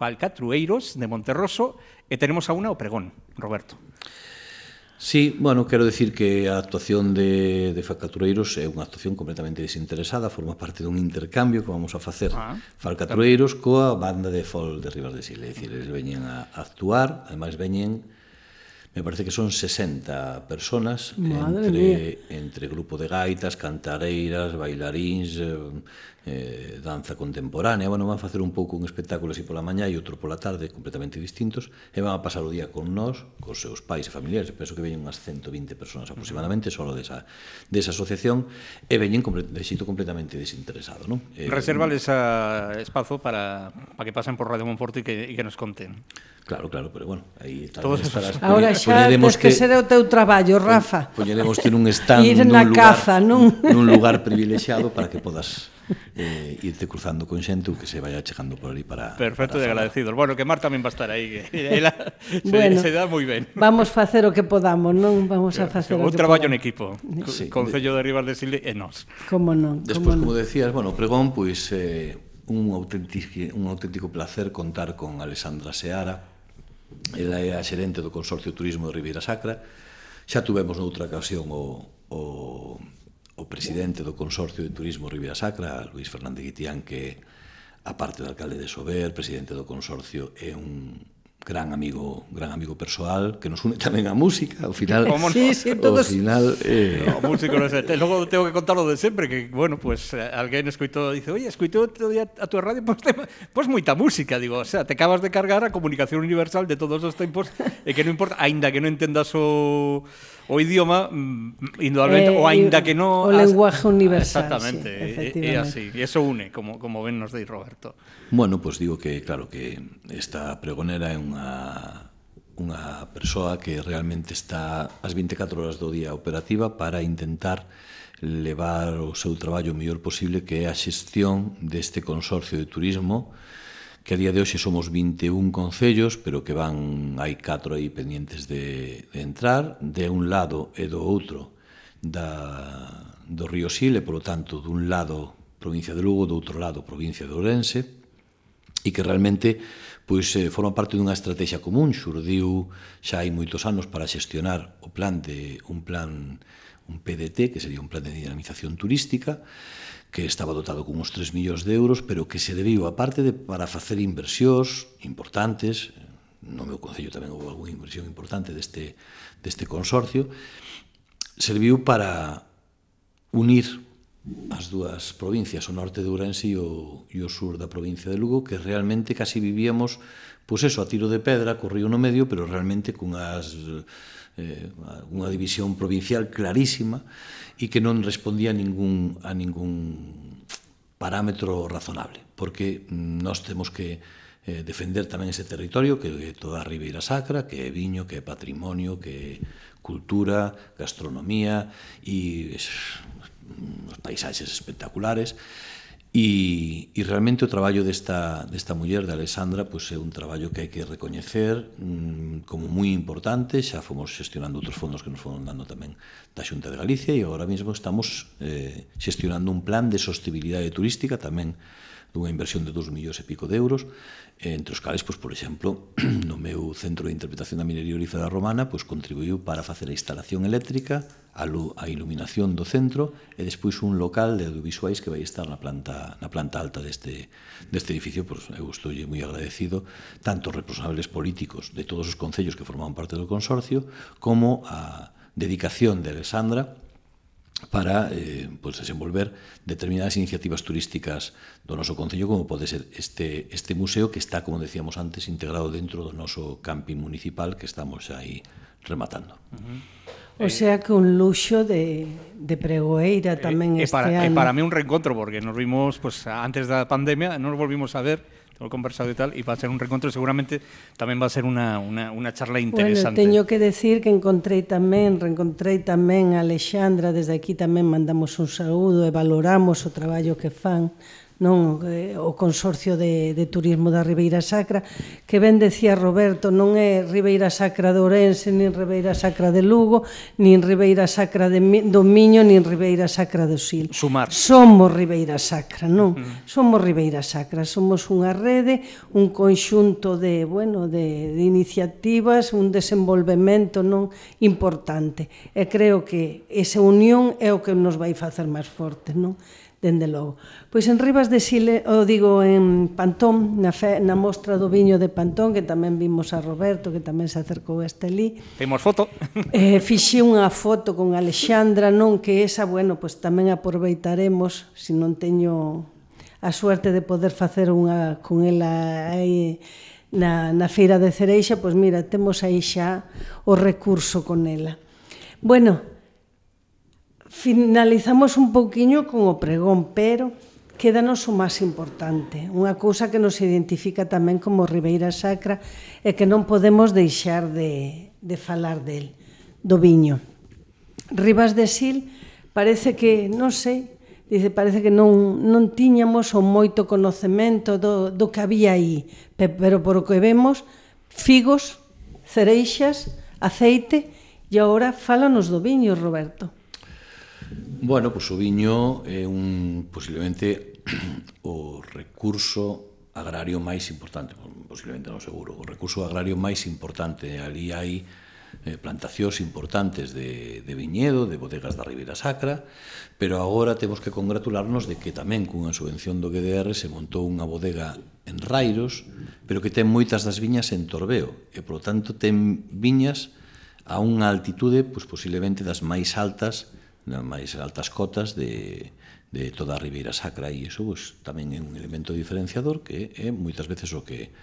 Falcatrueiros, de Monterroso, e tenemos a unha o Pregón, Roberto. Sí, bueno, quero decir que a actuación de, de Falcatrueiros é unha actuación completamente desinteresada, forma parte dun intercambio que vamos a facer ah, Falcatrueiros coa banda de folk de Ribas de Sil, é dicir, eles veñen a actuar, ademais veñen, me parece que son sesenta personas entre, entre grupo de gaitas, cantareiras, bailaríns, eh, danza contemporánea. Bueno, van a facer un pouco un espectáculo así pola mañá e outro pola tarde, completamente distintos, e van a pasar o día con nós, cos seus pais e familiares. Penso que veñen unhas ciento vinte personas aproximadamente, solo desa, desa asociación, e veñen de xito completamente desinteresado, non? Eh, Resérvales a espazo para, para que pasen por Radio Monforte e que, e que nos conten. Claro, claro, pero bueno, aí Todos estarás... Ahora xa tens que, que ser o teu traballo, Rafa. Poñeremos ter un stand ir nun na lugar, caza, non? nun lugar privilexiado para que podas eh, irte cruzando con xente ou que se vaya chegando por ali para... Perfecto, para e agradecidos. Bueno, que Mar tamén va a estar aí, que ela se, bueno, se dá moi ben. Vamos facer o que podamos, non? Vamos a facer o un que traballo podamos. en equipo, sí, Concello de Ribas de Sil e nós. Como non? Despois, como, como non? decías, bueno, pregón, pois eh, un auténtico, un auténtico placer contar con Alexandra Seara. Ela é a xerente do Consorcio de Turismo de Ribeira Sacra. Xa tuvemos noutra ocasión o, o, o presidente do Consorcio de Turismo de Ribeira Sacra, Luís Fernández Guitián, que, aparte do alcalde de Sober, presidente do Consorcio, é un gran amigo, gran amigo persoal, que nos une tamén a música, ao final, ¿Cómo no? Sí, sí, ao todos... final eh... No, músico non sei. Logo tengo que contar lo de sempre, que, bueno, pues alguén escoitou, dice, oye, escoitou outro día a tua radio, pues, te, pues moita música, digo, o sea, te acabas de cargar a comunicación universal de todos os tempos, e que non importa, aínda que non entendas o, o idioma, indudablemente, eh, o aínda que non... O lenguaje universal, exactamente, sí, é así, e eso une, como, como ben nos dei Roberto. Bueno, pois pues digo que, claro, que esta pregonera é unha, unha persoa que realmente está as vinte e catro horas do día operativa para intentar levar o seu traballo o mellor posible, que é a xestión deste consorcio de turismo, que a día de hoxe somos vinte e un concellos, pero que van, hai catro aí pendientes de, de entrar, de un lado e do outro da, do río Sil, e, polo tanto, dun lado provincia de Lugo, do outro lado provincia de Ourense, e que realmente pois, eh, forma parte dunha estrategia común. Xurdiu xa hai moitos anos para xestionar o plan de un plan, un P D T, que sería un plan de dinamización turística, que estaba dotado con uns tres millóns de euros, pero que se debiu, aparte de para facer inversións importantes, no meu concello tamén houve algunha inversión importante deste, deste consorcio, serviu para unir as dúas provincias, o norte de Ourense e o, e o sur da provincia de Lugo, que realmente casi vivíamos, pois eso, a tiro de pedra, co río no medio, pero realmente cunhas, eh, unha división provincial clarísima e que non respondía a ningún, a ningún parámetro razonable, porque nós temos que eh, defender tamén ese territorio que é toda a Ribeira Sacra, que é viño, que é patrimonio, que é cultura, gastronomía e os paisaxes espectaculares e, e realmente o traballo desta, desta muller, de Alexandra, pois é un traballo que hai que recoñecer mmm, como moi importante. Xa fomos xestionando outros fondos que nos foron dando tamén da Xunta de Galicia e agora mesmo estamos eh, xestionando un plan de sostenibilidade turística tamén dunha inversión de dos millóns e pico de euros, entre os cales, pois, por exemplo, no meu Centro de Interpretación da Minería Olífera Romana, pois, contribuiu para facer a instalación eléctrica, a, a iluminación do centro e despois un local de audiovisuais que vai estar na planta, na planta alta deste, deste edificio. Pois, eu estou moi agradecido tanto aos responsables políticos de todos os concellos que forman parte do consorcio como a dedicación de Alexandra para eh, pues, desenvolver determinadas iniciativas turísticas do noso concello, como pode ser este, este museo que está, como decíamos antes, integrado dentro do noso camping municipal que estamos aí rematando. Uh-huh. O sea que un luxo de, de pregoeira tamén eh, este para, ano. E para mí un reencontro, porque nos vimos pues, antes da pandemia, nos volvimos a ver, todo conversado e tal, e va a ser un reencontro, seguramente tamén va a ser unha, unha, unha charla interesante. Bueno, teño que decir que encontrei tamén, reencontrei tamén a Alexandra, desde aquí tamén mandamos un saúdo e valoramos o traballo que fan, non o Consorcio de, de Turismo da Ribeira Sacra, que ben decía Roberto, non é Ribeira Sacra de Ourense, nin Ribeira Sacra de Lugo, nin Ribeira Sacra de do Miño, nin Ribeira Sacra do Sil. Sumar. Somos Ribeira Sacra, non? Uh-huh. Somos Ribeira Sacra, somos unha rede, un conxunto de, bueno, de, de iniciativas, un desenvolvemento non importante. E creo que esa unión é o que nos vai facer máis fortes, non? Dende logo. Pois en Ribas de Sil, o digo en Pantón, na, fe, na mostra do viño de Pantón, que tamén vimos a Roberto, que tamén se acercou este ali. Temos foto. Eh, fixe unha foto con Alexandra, non, que esa, bueno, pois tamén aproveitaremos, se non teño a suerte de poder facer unha con ela aí na, na feira de Cereixa, pois mira, temos aí xa o recurso con ela. Bueno, finalizamos un pouquiño con o pregón, pero quédanos o máis importante, unha cousa que nos identifica tamén como Ribeira Sacra e que non podemos deixar de, de falar del, do viño. Ribas de Sil parece que, non sei, dice, parece que non, non tiñamos o moito conocemento do, do que había aí, pero por o que vemos, figos, cereixas, aceite, e agora fálanos do viño, Roberto. Bueno, pois o viño é un, posiblemente, o recurso agrario máis importante, posiblemente non seguro, o recurso agrario máis importante. Ali hai eh, plantacións importantes de, de viñedo, de bodegas da Ribeira Sacra, pero agora temos que congratularnos de que tamén cunha subvención do G D R se montou unha bodega en Rairos, pero que ten moitas das viñas en Torbeo, e, polo tanto, ten viñas a unha altitude, pois, posiblemente das máis altas, nas máis altas cotas de, de toda a Ribeira Sacra, e iso pues, tamén é un elemento diferenciador que é moitas veces o que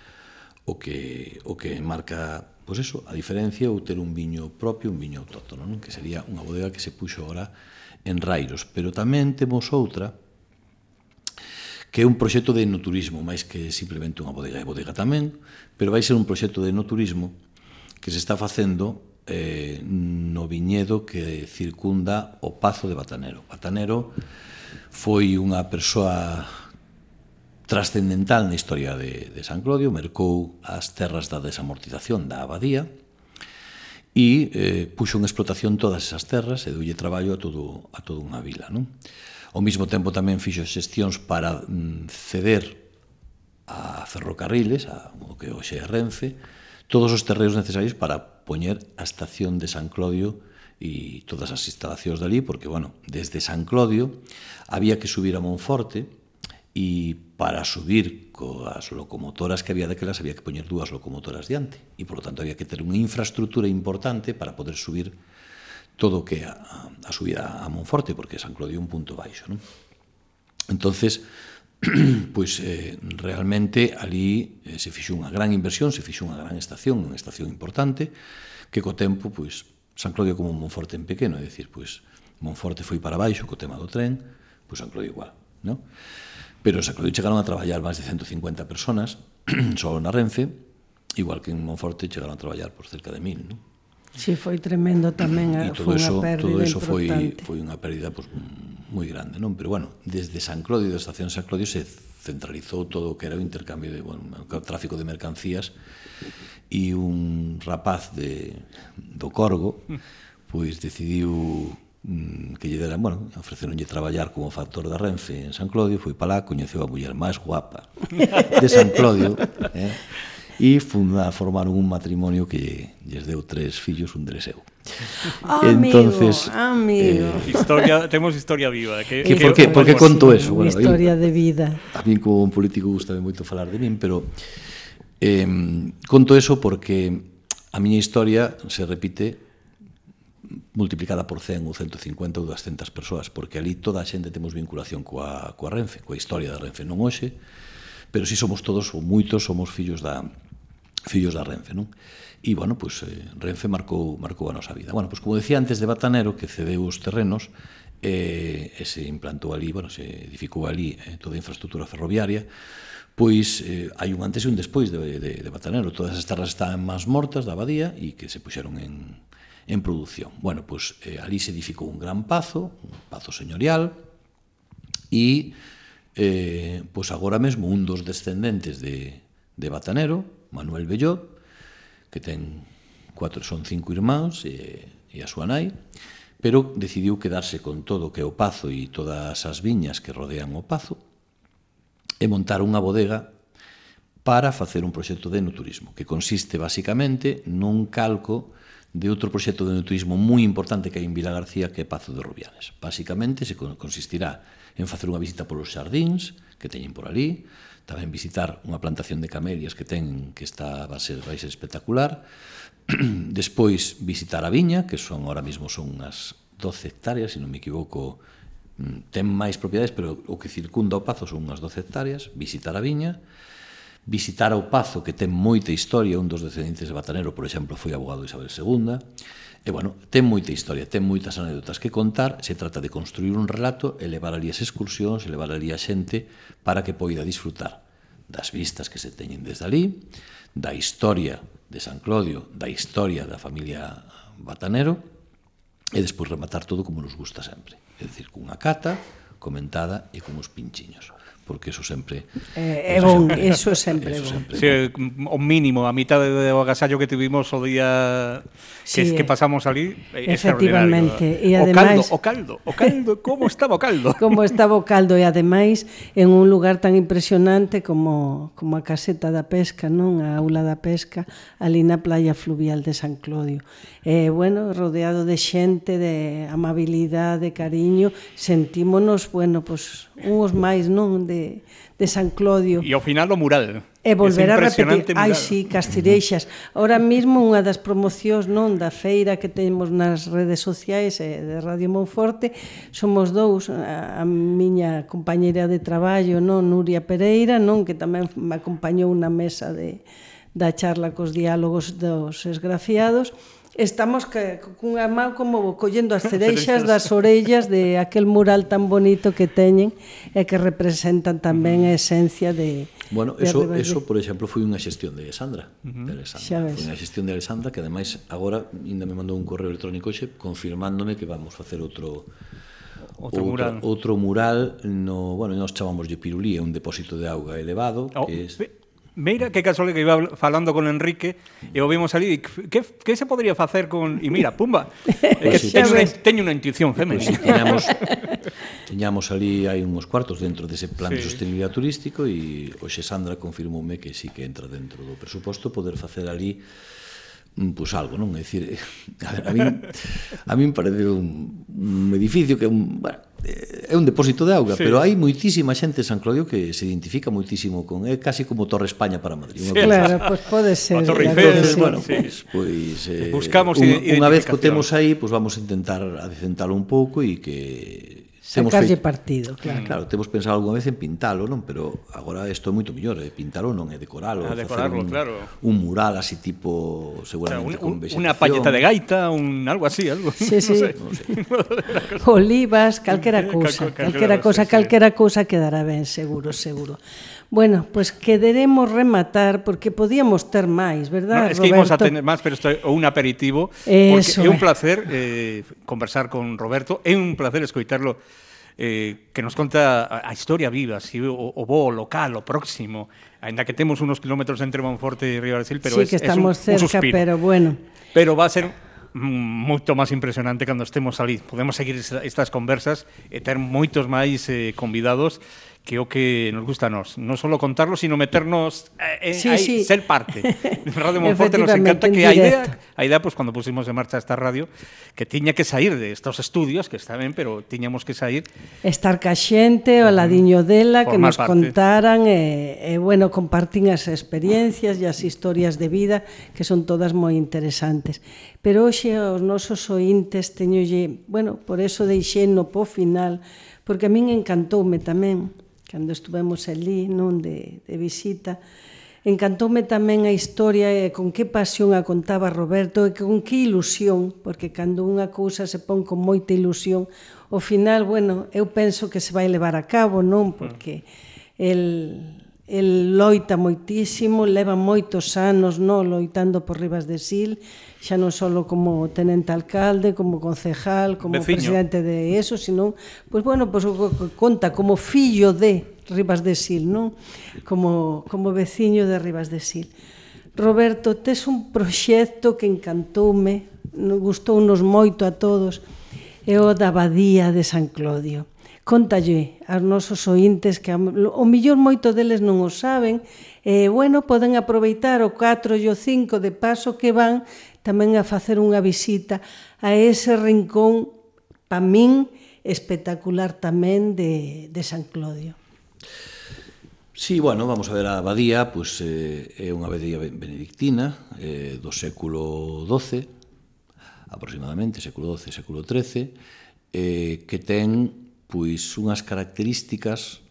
o que o que marca, pois pues eso, a diferencia ou ter un viño propio, un viño autóctono, non? Que sería unha bodega que se puxo agora en Rairos, pero tamén temos outra que é un proxecto de enoturismo, máis que simplemente unha bodega, é bodega tamén, pero vai ser un proxecto de enoturismo que se está facendo Eh, no viñedo que circunda o Pazo de Batanero. Batanero foi unha persoa trascendental na historia de, de San Clodio, mercou as terras da desamortización da abadía e eh, puxo en explotación todas esas terras e deulle traballo a todo a toda unha vila, non? Ao mesmo tempo tamén fixo xestións para mm, ceder a ferrocarriles, a, o que hoxe é Renfe, todos os terreos necesarios para poñer a estación de San Clodio e todas as instalacións dali, porque, bueno, desde San Clodio había que subir a Monforte e para subir coas locomotoras que había daquelas había que poñer dúas locomotoras diante e, por lo tanto, había que ter unha infraestructura importante para poder subir todo o que é a, a subida a Monforte, porque San Clodio é un punto baixo, non? Entonces, pois eh, realmente ali eh, se fixo unha gran inversión, se fixo unha gran estación, unha estación importante, que co tempo, pois, San Clodio como Monforte en pequeno, é dicir, pois, Monforte foi para baixo co tema do tren, pois San Clodio igual, non? Pero en San Clodio chegaron a traballar máis de ciento cincuenta personas, só na Renfe, igual que en Monforte chegaron a traballar por cerca de mil, non? Sí, foi tremendo tamén, foi unha pérdida todo eso importante. Foi, foi unha pérdida pues, moi grande, non? Pero bueno, desde San Clodio, da estación San Clodio, se centralizou todo o que era o intercambio de, bueno, o tráfico de mercancías, e un rapaz de, do Corgo, pois decidiu que lle deran, bueno, ofreceronlle traballar como factor da Renfe en San Clodio, foi para lá, coñeceu a muller máis guapa de San Clodio, eh? E funda, formaron un matrimonio que lles deu tres fillos, un deles eu. Oh, Entonces, amigo, amigo. Eh, historia, temos historia viva. Que, que, que por que, por que conto eso? Bueno, historia de vida. A mí como un político gustame moito falar de min, pero eh, conto eso porque a miña historia se repite multiplicada por cen ou ciento cincuenta ou doscientas persoas, porque ali toda a xente temos vinculación coa, coa Renfe, coa historia da Renfe, non hoxe, pero si somos todos, ou moitos, somos fillos da fillos da Renfe, non? E, bueno, pois, eh, Renfe marcou, marcou a nosa vida. Bueno, pois, como decía antes de Batanero, que cedeu os terrenos, eh, e se implantou ali, bueno, se edificou ali eh, toda a infraestructura ferroviaria, pois eh, hai un antes e un despois de, de, de Batanero. Todas as terras estaban máis mortas da abadía e que se puxeron en en produción. Bueno, pois eh, ali se edificou un gran pazo, un pazo señorial, e eh, pois agora mesmo un dos descendentes de, de Batanero, Manuel Bellot, que ten cuatro, son cinco irmáns e, e a súa nai, pero decidiu quedarse con todo o que é o pazo e todas as viñas que rodean o pazo e montar unha bodega para facer un proxecto de enoturismo, que consiste basicamente nun calco de outro proxecto de enoturismo moi importante que hai en Vila García, que é Pazo de Rubianes. Basicamente, se consistirá en facer unha visita polos xardíns que teñen por ali, tamén visitar unha plantación de camelias que ten, que está, vai ser, vai ser espectacular, despois visitar a viña, que son ahora mesmo son unhas doce hectáreas, se non me equivoco, ten máis propiedades, pero o que circunda o Pazo son unhas doce hectáreas, visitar a viña, visitar o Pazo, que ten moita historia, un dos descendentes de Batanero, por exemplo, foi abogado de Isabel segunda, e, bueno, ten moita historia, ten moitas anécdotas que contar, se trata de construir un relato e levar ali as excursións, e levar ali a xente para que poida disfrutar das vistas que se teñen desde ali, da historia de San Clodio, da historia da familia Batanero, e despois rematar todo como nos gusta sempre, é dicir, cunha cata comentada e con os pinchiños, porque eso sempre é eh, bon, eso sempre eso bon. Sí, o mínimo, a mitad de o agasallo que tuvimos o día que, sí, que pasamos ali, efectivamente, e ademais o caldo, o caldo, o caldo, como estaba o caldo? Como estaba o caldo, e ademais en un lugar tan impresionante como como a caseta da pesca, non? A aula da pesca ali na playa fluvial de San Clodio. E, bueno, rodeado de xente, de amabilidade, de cariño, sentímonos, bueno, pues, uns máis, non? De, de San Clodio. E ao final o mural. E volver a repetir, ai sí, Castireixas. Ahora mesmo unha das promocións, non, da feira que temos nas redes sociais e de Radio Monforte, somos dous, a, a miña compañeira de traballo, non, Nuria Pereira, non, que tamén me acompañou na mesa de, da charla cos diálogos dos esgrafiados. Estamos que, cunha man como collendo as cereixas das orellas de aquel mural tan bonito que teñen e que representan tamén a esencia de... Bueno, de eso, eso, por exemplo, foi unha xestión de Alexandra. Uh-huh. De Alexandra. Foi unha xestión de Alexandra que, ademais, agora ainda me mandou un correo electrónico xe confirmándome que vamos facer outro... Outro, outro mural. Outro mural no, bueno, nós chamámoslle Pirulí, é un depósito de auga elevado, oh, que é... Mira, que casual que iba falando con Enrique e o vimos ali, que, que se podría facer con... E mira, pumba, é que teño, unha, teño unha intuición femenina. Pues, sí, teñamos, teñamos ali, hai uns cuartos dentro dese plan sí. de sostenibilidade turístico e hoxe Sandra confirmoume que sí que entra dentro do presuposto poder facer ali pois algo, non? É dicir, a, ver, a min a min parece un, un edificio que é un, bueno, é un depósito de auga, sí. Pero hai moitísima xente en San Claudio que se identifica moitísimo con, é casi como Torre España para Madrid. Sí, claro, pois pues pode ser. A Torre Eiffel, entonces, sí. bueno, Sí. Pois, pois eh, buscamos un, unha vez que o identificación. temos aí, pois vamos a intentar adecentalo un pouco e que sacarlle partido, claro. Claro, temos pensado algunha vez en pintalo, non? Pero agora isto é moito mellor, é pintalo non é decoralo, a decorarlo, un, claro. Un mural así tipo, seguramente o sea, un, con vegetación. Unha palleta de gaita, un algo así, algo. Sí, sí. No sé. No sé. Olivas, calquera cousa, Cal, calquera cousa, calquera cousa quedará ben, seguro, seguro. Bueno, pois pues quereremos rematar porque podíamos ter máis, verdad, No, es Roberto? que íbamos a tener máis, pero isto é un aperitivo, Eso porque é un é. placer eh, conversar con Roberto, é un placer escoitarlo eh, que nos conta a, a historia viva, si o, o bo, o local, o próximo, ainda que temos unos kilómetros entre Monforte e Ribadesil, pero sí, es, que estamos es un, cerca, un suspiro. pero bueno. Pero va a ser moito máis impresionante cando estemos ali. Podemos seguir estas conversas e ter moitos máis eh, convidados que é o que nos gusta a nós. Non só contarlo, sino meternos en, sí, aí, sí. ser parte. Radio Monforte nos encanta que a idea, a idea, pues, cando pusimos en marcha esta radio, que tiña que sair de estos estudios, que está ben, pero tiñamos que sair. Estar ca xente, o ladiño dela, que nos parte. contaran, e, e, bueno, compartín as experiencias e as historias de vida, que son todas moi interesantes. Pero hoxe os nosos ointes teñolle, bueno, por eso deixei no po final, porque a min encantoume tamén, cando estuvemos ali, non, de, de visita, encantoume tamén a historia e con que pasión a contaba Roberto e con que ilusión, porque cando unha cousa se pon con moita ilusión, ao final, bueno, eu penso que se vai levar a cabo, non? Porque el, el loita moitísimo, leva moitos anos, non, loitando por Ribas de Sil, xa non só como tenente alcalde, como concejal, como Veciño. presidente de eso, sino, pois bueno, pois conta como fillo de Ribas de Sil, non? Como, como veciño de Ribas de Sil. Roberto, tes un proxecto que encantoume, gustounos moito a todos, é o da Abadía de San Clodio. Contalle aos nosos ointes que o millor moito deles non o saben, e, bueno, poden aproveitar o catro e o cinco de paso que van tamén a facer unha visita a ese rincón, pa min, espectacular tamén de, de San Clodio. Sí, bueno, vamos a ver a abadía, pois eh, é unha abadía benedictina eh, do século doce, aproximadamente, século doce, século trece, eh, que ten pois unhas características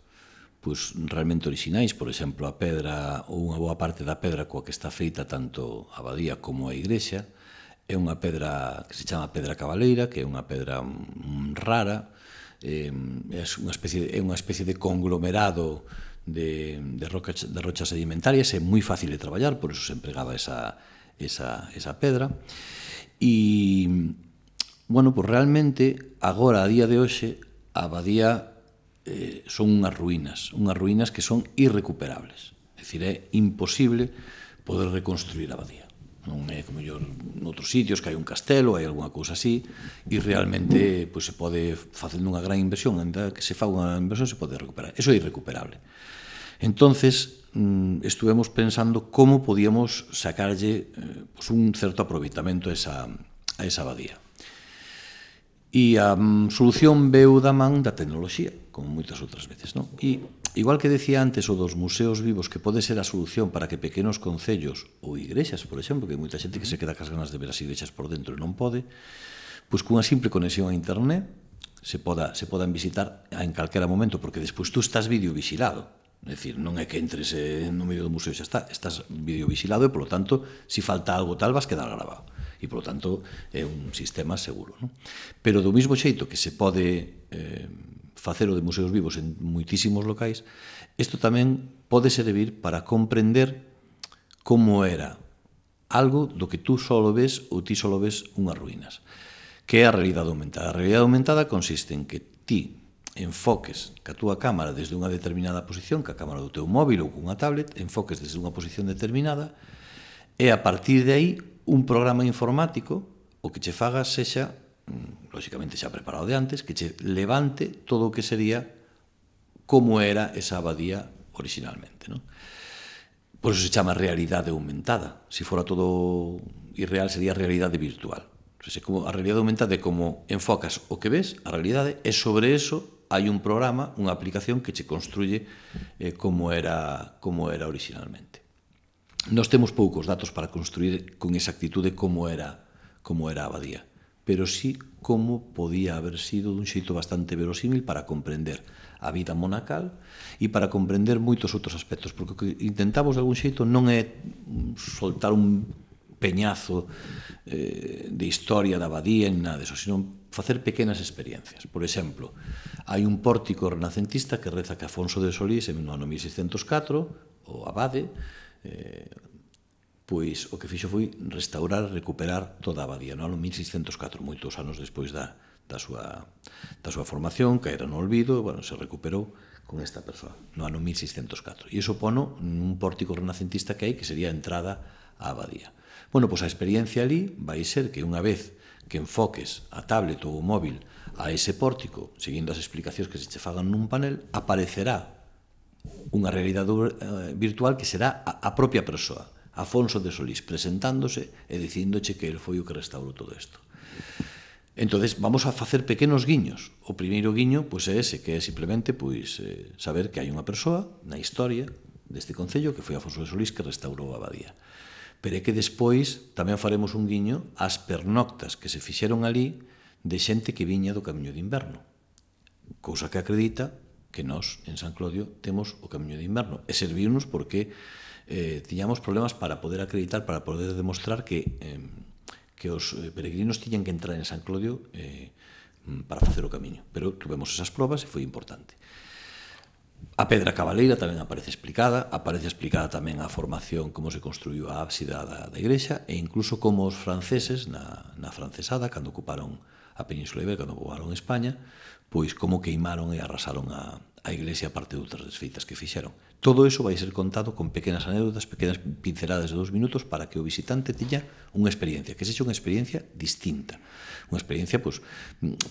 pois realmente orixinais, por exemplo, a pedra ou unha boa parte da pedra coa que está feita tanto a abadía como a igrexa é unha pedra que se chama pedra cabaleira, que é unha pedra mm, rara, eh, é unha especie é unha especie de conglomerado de, de, rocas, de rochas sedimentarias, é moi fácil de traballar, por eso se empregaba esa, esa, esa pedra. E, bueno, pues realmente, agora, a día de hoxe, a abadía eh, son unhas ruínas, unhas ruínas que son irrecuperables. É dicir, é imposible poder reconstruir a abadía. Non é como yo noutros sitios que hai un castelo, hai algunha cousa así, e realmente pues, se pode, facendo unha gran inversión, ainda que se fa unha inversión, se pode recuperar. Eso é irrecuperable. Entonces, estuvemos pensando como podíamos sacarlle eh, pues, un certo aproveitamento a esa, a esa abadía. E a um, solución veu da man da tecnoloxía, como moitas outras veces, non? E igual que decía antes o dos museos vivos, que pode ser a solución para que pequenos concellos ou igrexas, por exemplo, que hai moita xente que se queda cas ganas de ver as igrexas por dentro e non pode, pois cunha simple conexión a internet se poda se podan visitar en calquera momento, porque despois tú estás videovigilado. É dicir, non é que entres no medio do museo e xa está, estás videovigilado e, polo tanto, se falta algo tal, vas quedar grabado. E, polo tanto, é un sistema seguro. Non? Pero do mesmo xeito que se pode eh, facer o de museos vivos en moitísimos locais, isto tamén pode servir para comprender como era algo do que tú só ves ou ti só ves unhas ruínas, que é a realidade aumentada. A realidade aumentada consiste en que ti enfoques ca túa cámara desde unha determinada posición, ca cámara do teu móvil ou cunha tablet, enfoques desde unha posición determinada, e a partir de aí un programa informático o que che faga sexa, lóxicamente xa preparado de antes, que che levante todo o que sería como era esa abadía originalmente. Non? Por eso se chama realidade aumentada. Se fora todo irreal, sería realidade virtual. Como a realidade aumentada é como enfocas o que ves, a realidade, e sobre eso hai un programa, unha aplicación que che construye eh, como era como era originalmente. Nos temos poucos datos para construir con exactitude como era como era a abadía, pero sí como podía haber sido dun xeito bastante verosímil para comprender a vida monacal e para comprender moitos outros aspectos, porque o que intentamos de algún xeito non é soltar un peñazo eh, de historia da abadía en nada disso, sino facer pequenas experiencias. Por exemplo, hai un pórtico renacentista que reza que Afonso de Solís en no ano mil seiscentos catro, o abade, eh, pois o que fixo foi restaurar, recuperar toda a abadía no ano mil seiscentos catro, moitos anos despois da, da, súa, da súa formación, que era no olvido, bueno, se recuperou con esta persoa no ano mil seiscentos catro. E iso pono un pórtico renacentista que hai, que sería a entrada á abadía. Bueno, pois a experiencia ali vai ser que unha vez que enfoques a tablet ou o móvil a ese pórtico, seguindo as explicacións que se che fagan nun panel, aparecerá unha realidade virtual que será a propia persoa, Afonso de Solís, presentándose e dicíndoche que el foi o que restaurou todo isto. Entonces, vamos a facer pequenos guiños. O primeiro guiño pois, é ese, que é simplemente pois, eh, saber que hai unha persoa na historia deste concello que foi Afonso de Solís que restaurou a abadía. Pero é que despois tamén faremos un guiño ás pernoctas que se fixeron ali de xente que viña do Camiño de Inverno. Cousa que acredita que nós, en San Clodio, temos o Camiño de Inverno. E servirnos porque eh, tiñamos problemas para poder acreditar, para poder demostrar que, eh, que os peregrinos tiñan que entrar en San Clodio eh, para facer o camiño. Pero tuvemos esas probas e foi importante. A pedra cabaleira tamén aparece explicada, aparece explicada tamén a formación, como se construiu a ábside da, da igrexa, e incluso como os franceses, na, na francesada, cando ocuparon a Península Ibérica, cando ocuparon España, pois como queimaron e arrasaron a, a iglesia a parte de outras desfeitas que fixeron. Todo iso vai ser contado con pequenas anécdotas, pequenas pinceladas de dos minutos para que o visitante tiña unha experiencia, que sexa unha experiencia distinta. Unha experiencia, pois,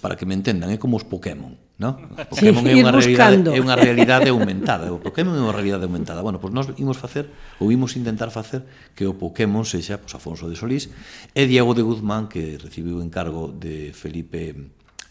para que me entendan, é como os Pokémon, non? Os Pokémon sí, é unha realidade, é unha realidade aumentada. O Pokémon é unha realidade aumentada. Bueno, pois nós imos facer, ou imos intentar facer que o Pokémon sexa pois, Afonso de Solís e Diego de Guzmán, que recibiu o encargo de Felipe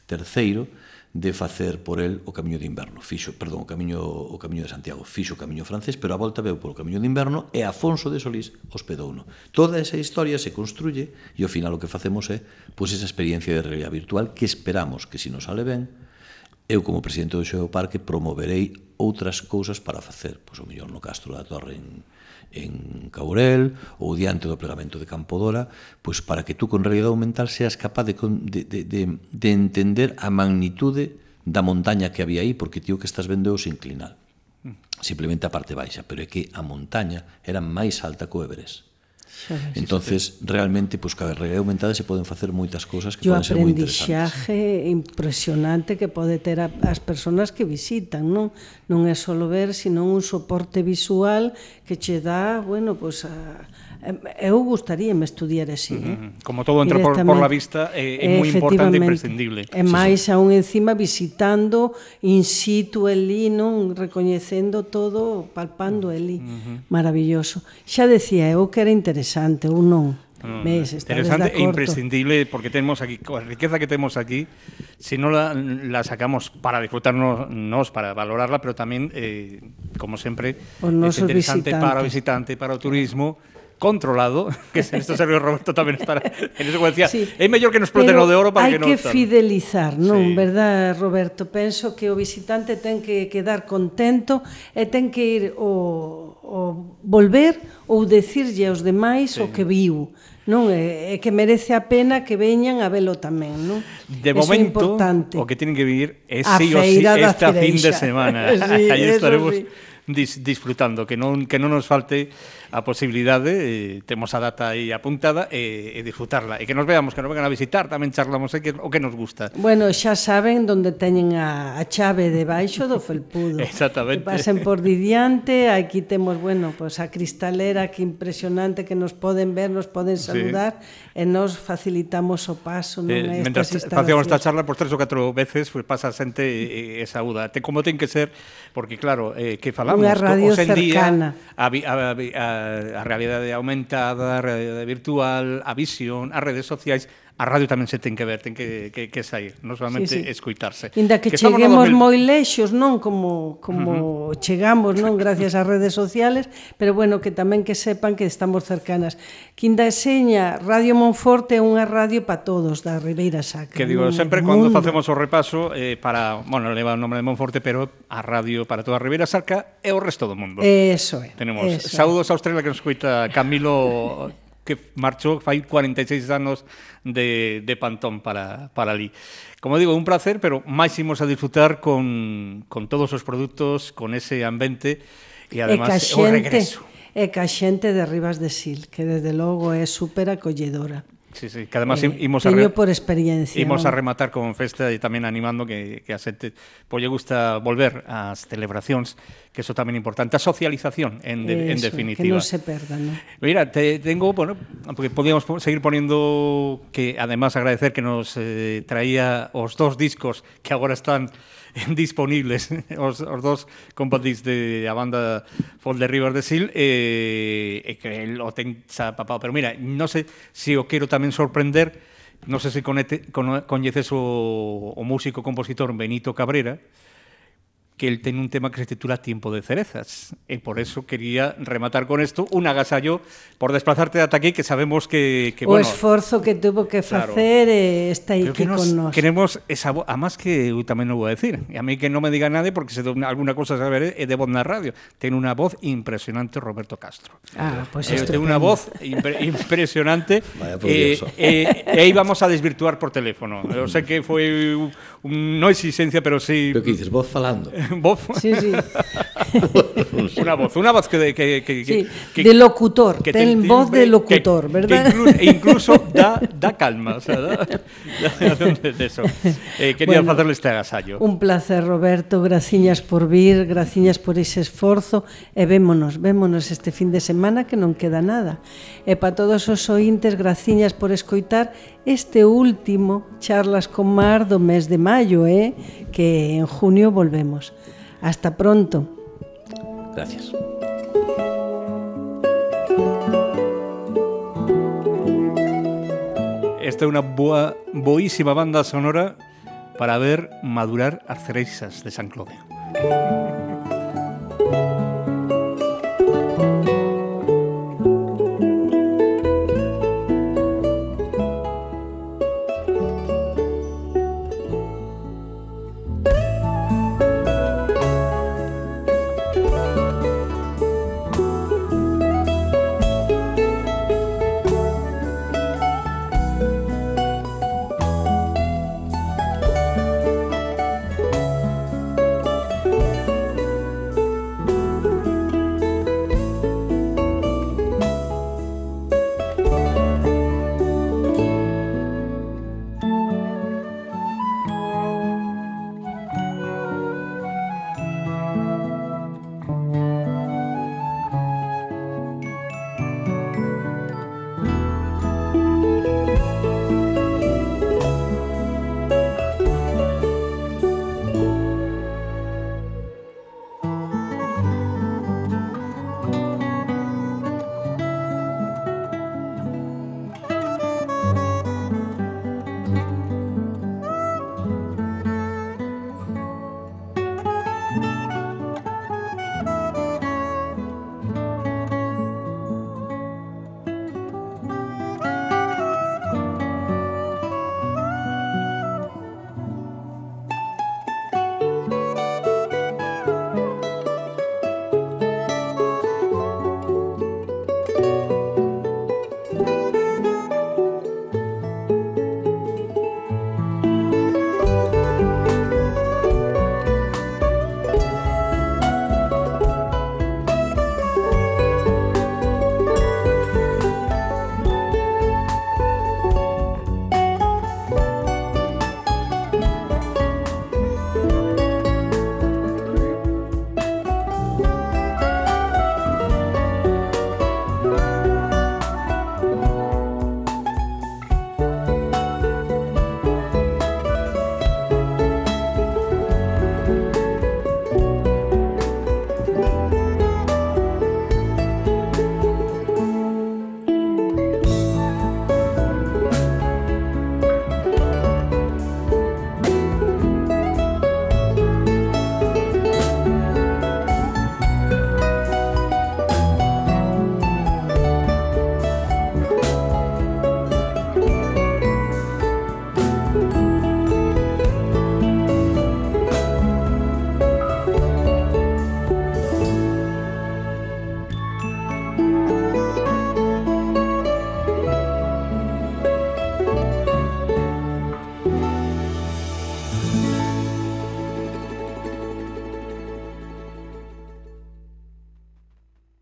terceiro de facer por el o Camiño de Inverno. Fixo, perdón, o Camiño, o Camiño de Santiago. Fixo o Camiño francés, pero a volta veu polo Camiño de Inverno e Afonso de Solís hospedouno. Toda esa historia se construye e ao final o que facemos é pois, esa experiencia de realidade virtual que esperamos que, se nos sale ben, eu como presidente do Xeoparque promoverei outras cousas para facer, pois o mellor no Castro da Torre en, en Caurel ou diante do plegamento de Campodora, pois para que tú con realidade aumental seas capaz de, de, de, de, de entender a magnitude da montaña que había aí, porque tío que estás vendo é o sinclinal, simplemente a parte baixa, pero é que a montaña era máis alta que o Everest. Entonces, realmente, pois, ca realidade aumentada se poden facer moitas cousas que Yo poden ser moi interesantes. Yo aprendizaje impresionante que pode ter a, as persoas que visitan, non? Non é só ver, sino un soporte visual que che dá, bueno, pois a eu gustaríame estudiar así, eh? Como todo entra por, por la vista, é, é moi importante e imprescindible. E máis aún encima visitando in situ elí, non, recoñecendo todo, palpando elí. Uh-huh. Maravilloso. Xa decía eu que era interesante, ou non? No, Ves, interesante e imprescindible, porque temos aquí, a riqueza que temos aquí, se non la, la sacamos para disfrutarnos, nos, para valorarla, pero tamén, eh, como sempre, é interesante visitantes. Para o visitante, para o turismo, controlado, que en esto Sergio Roberto tamén estará en eso, como decía, sí, é mellor que nos exploten o de oro para que non... Hai que fidelizar, non, sí. Verdad, Roberto? Penso que o visitante ten que quedar contento e ten que ir o, o volver ou decirlle aos demais sí. O que viu, non? É, é que merece a pena que veñan a velo tamén, non? De eso momento, o que tienen que vivir é sí o sí esta fin de semana. Sí, aí estaremos sí. dis, disfrutando, que non, que non nos falte a posibilidade, eh, temos a data aí apuntada e, e disfrutarla, e que nos veamos, que nos vengan a visitar, tamén charlamos eh, que, o que nos gusta. Bueno, xa saben onde teñen a, a chave debaixo do felpudo. Exactamente. Que pasen por didiante, aquí temos, bueno, pues a cristalera que impresionante que nos poden ver, nos poden saludar, sí. E nos facilitamos o paso, non? Eh, Mentre facíamos esta charla, por tres ou catro veces, pues, pasa xente e, e saúda. Te, como ten que ser, porque claro, eh, que falamos falamos. Unha radio Hoxe en día, cercana. a, vi- a, a, a realidade aumentada, a realidade virtual, a visión, as redes sociais, a radio tamén se ten que ver, ten que, que, que sair, non solamente Sí, sí. escuitarse. Inda que, estamos no cheguemos dos mil moi lexos, non como como uh -huh. chegamos, non, gracias ás redes sociales, pero bueno, que tamén que sepan que estamos cercanas. Quinda seña, Radio Monforte é unha radio para todos da Ribeira Sacra. Que digo, non, sempre do cando mundo. facemos o repaso eh, para, bueno, leva o nome de Monforte, pero a radio para toda a Ribeira Sacra e o resto do mundo. Eso é. Tenemos eso saúdos a Australia que nos escuita Camilo, que marchou fai cuarenta e seis anos de, de Pantón para, para ali. Como digo, un placer, pero máis imos a disfrutar con, con todos os produtos, con ese ambiente e además o regreso. E ca xente de Ribas de Sil, que desde logo é super acolledora. Sí, sí, que además Eh, imos a teño por experiencia. Imos a non? rematar con festa e tamén animando que, que a xente pois lle gusta volver ás celebracións, que eso tamén é importante, a socialización en, de, en Eso, definitiva. que non se perda, non? Mira, te, tengo, bueno, porque podíamos seguir poniendo, que además agradecer que nos eh, traía os dos discos que agora están disponibles, os, os dos compadís de a banda Folk de Ribas de Sil, e, e que el o ten xa papado. Pero mira, non sei se o quero tamén sorprender, non sei se conete, con, coñeces o, o músico compositor Benito Cabrera, que él ten un tema que se titula Tiempo de cerezas, e por eso quería rematar con esto un agasallo por desplazarte ata aquí, que sabemos que, que o bueno, esforzo que tuvo que claro, facer e está pero aquí que nos con nós. queremos esa voz, además que eu tamén non vou a decir, e a mí que non me diga nadie, porque se alguna cosa saber é de voz na radio, ten unha voz impresionante Roberto Castro. Ah, pues Eh, ten unha voz impre, impresionante. Vaya por e Dios. eh, eh, íbamos a desvirtuar por teléfono. Eu sei que foi un, un, non exigencia, pero sí Pero que dices, vos falando. voz. Sí, sí. Una voz, una voz que de, que, que, Sí, que, de locutor, que ten timbre, voz de locutor, que, ¿verdad? Que incluso, e incluso da, da calma, o sea, da, da, de, de eso. Eh, quería Bueno, facerle este agasallo. Un placer, Roberto, graciñas por vir, graciñas por ese esforzo e vémonos, vémonos este fin de semana que non queda nada. E para todos os ointes, graciñas por escoitar este último Charlas con Mar do mes de maio, eh? Que en junio volvemos. Hasta pronto. Gracias. Esta é unha boa, boísima banda sonora para ver madurar as cereixas de San Clode. Música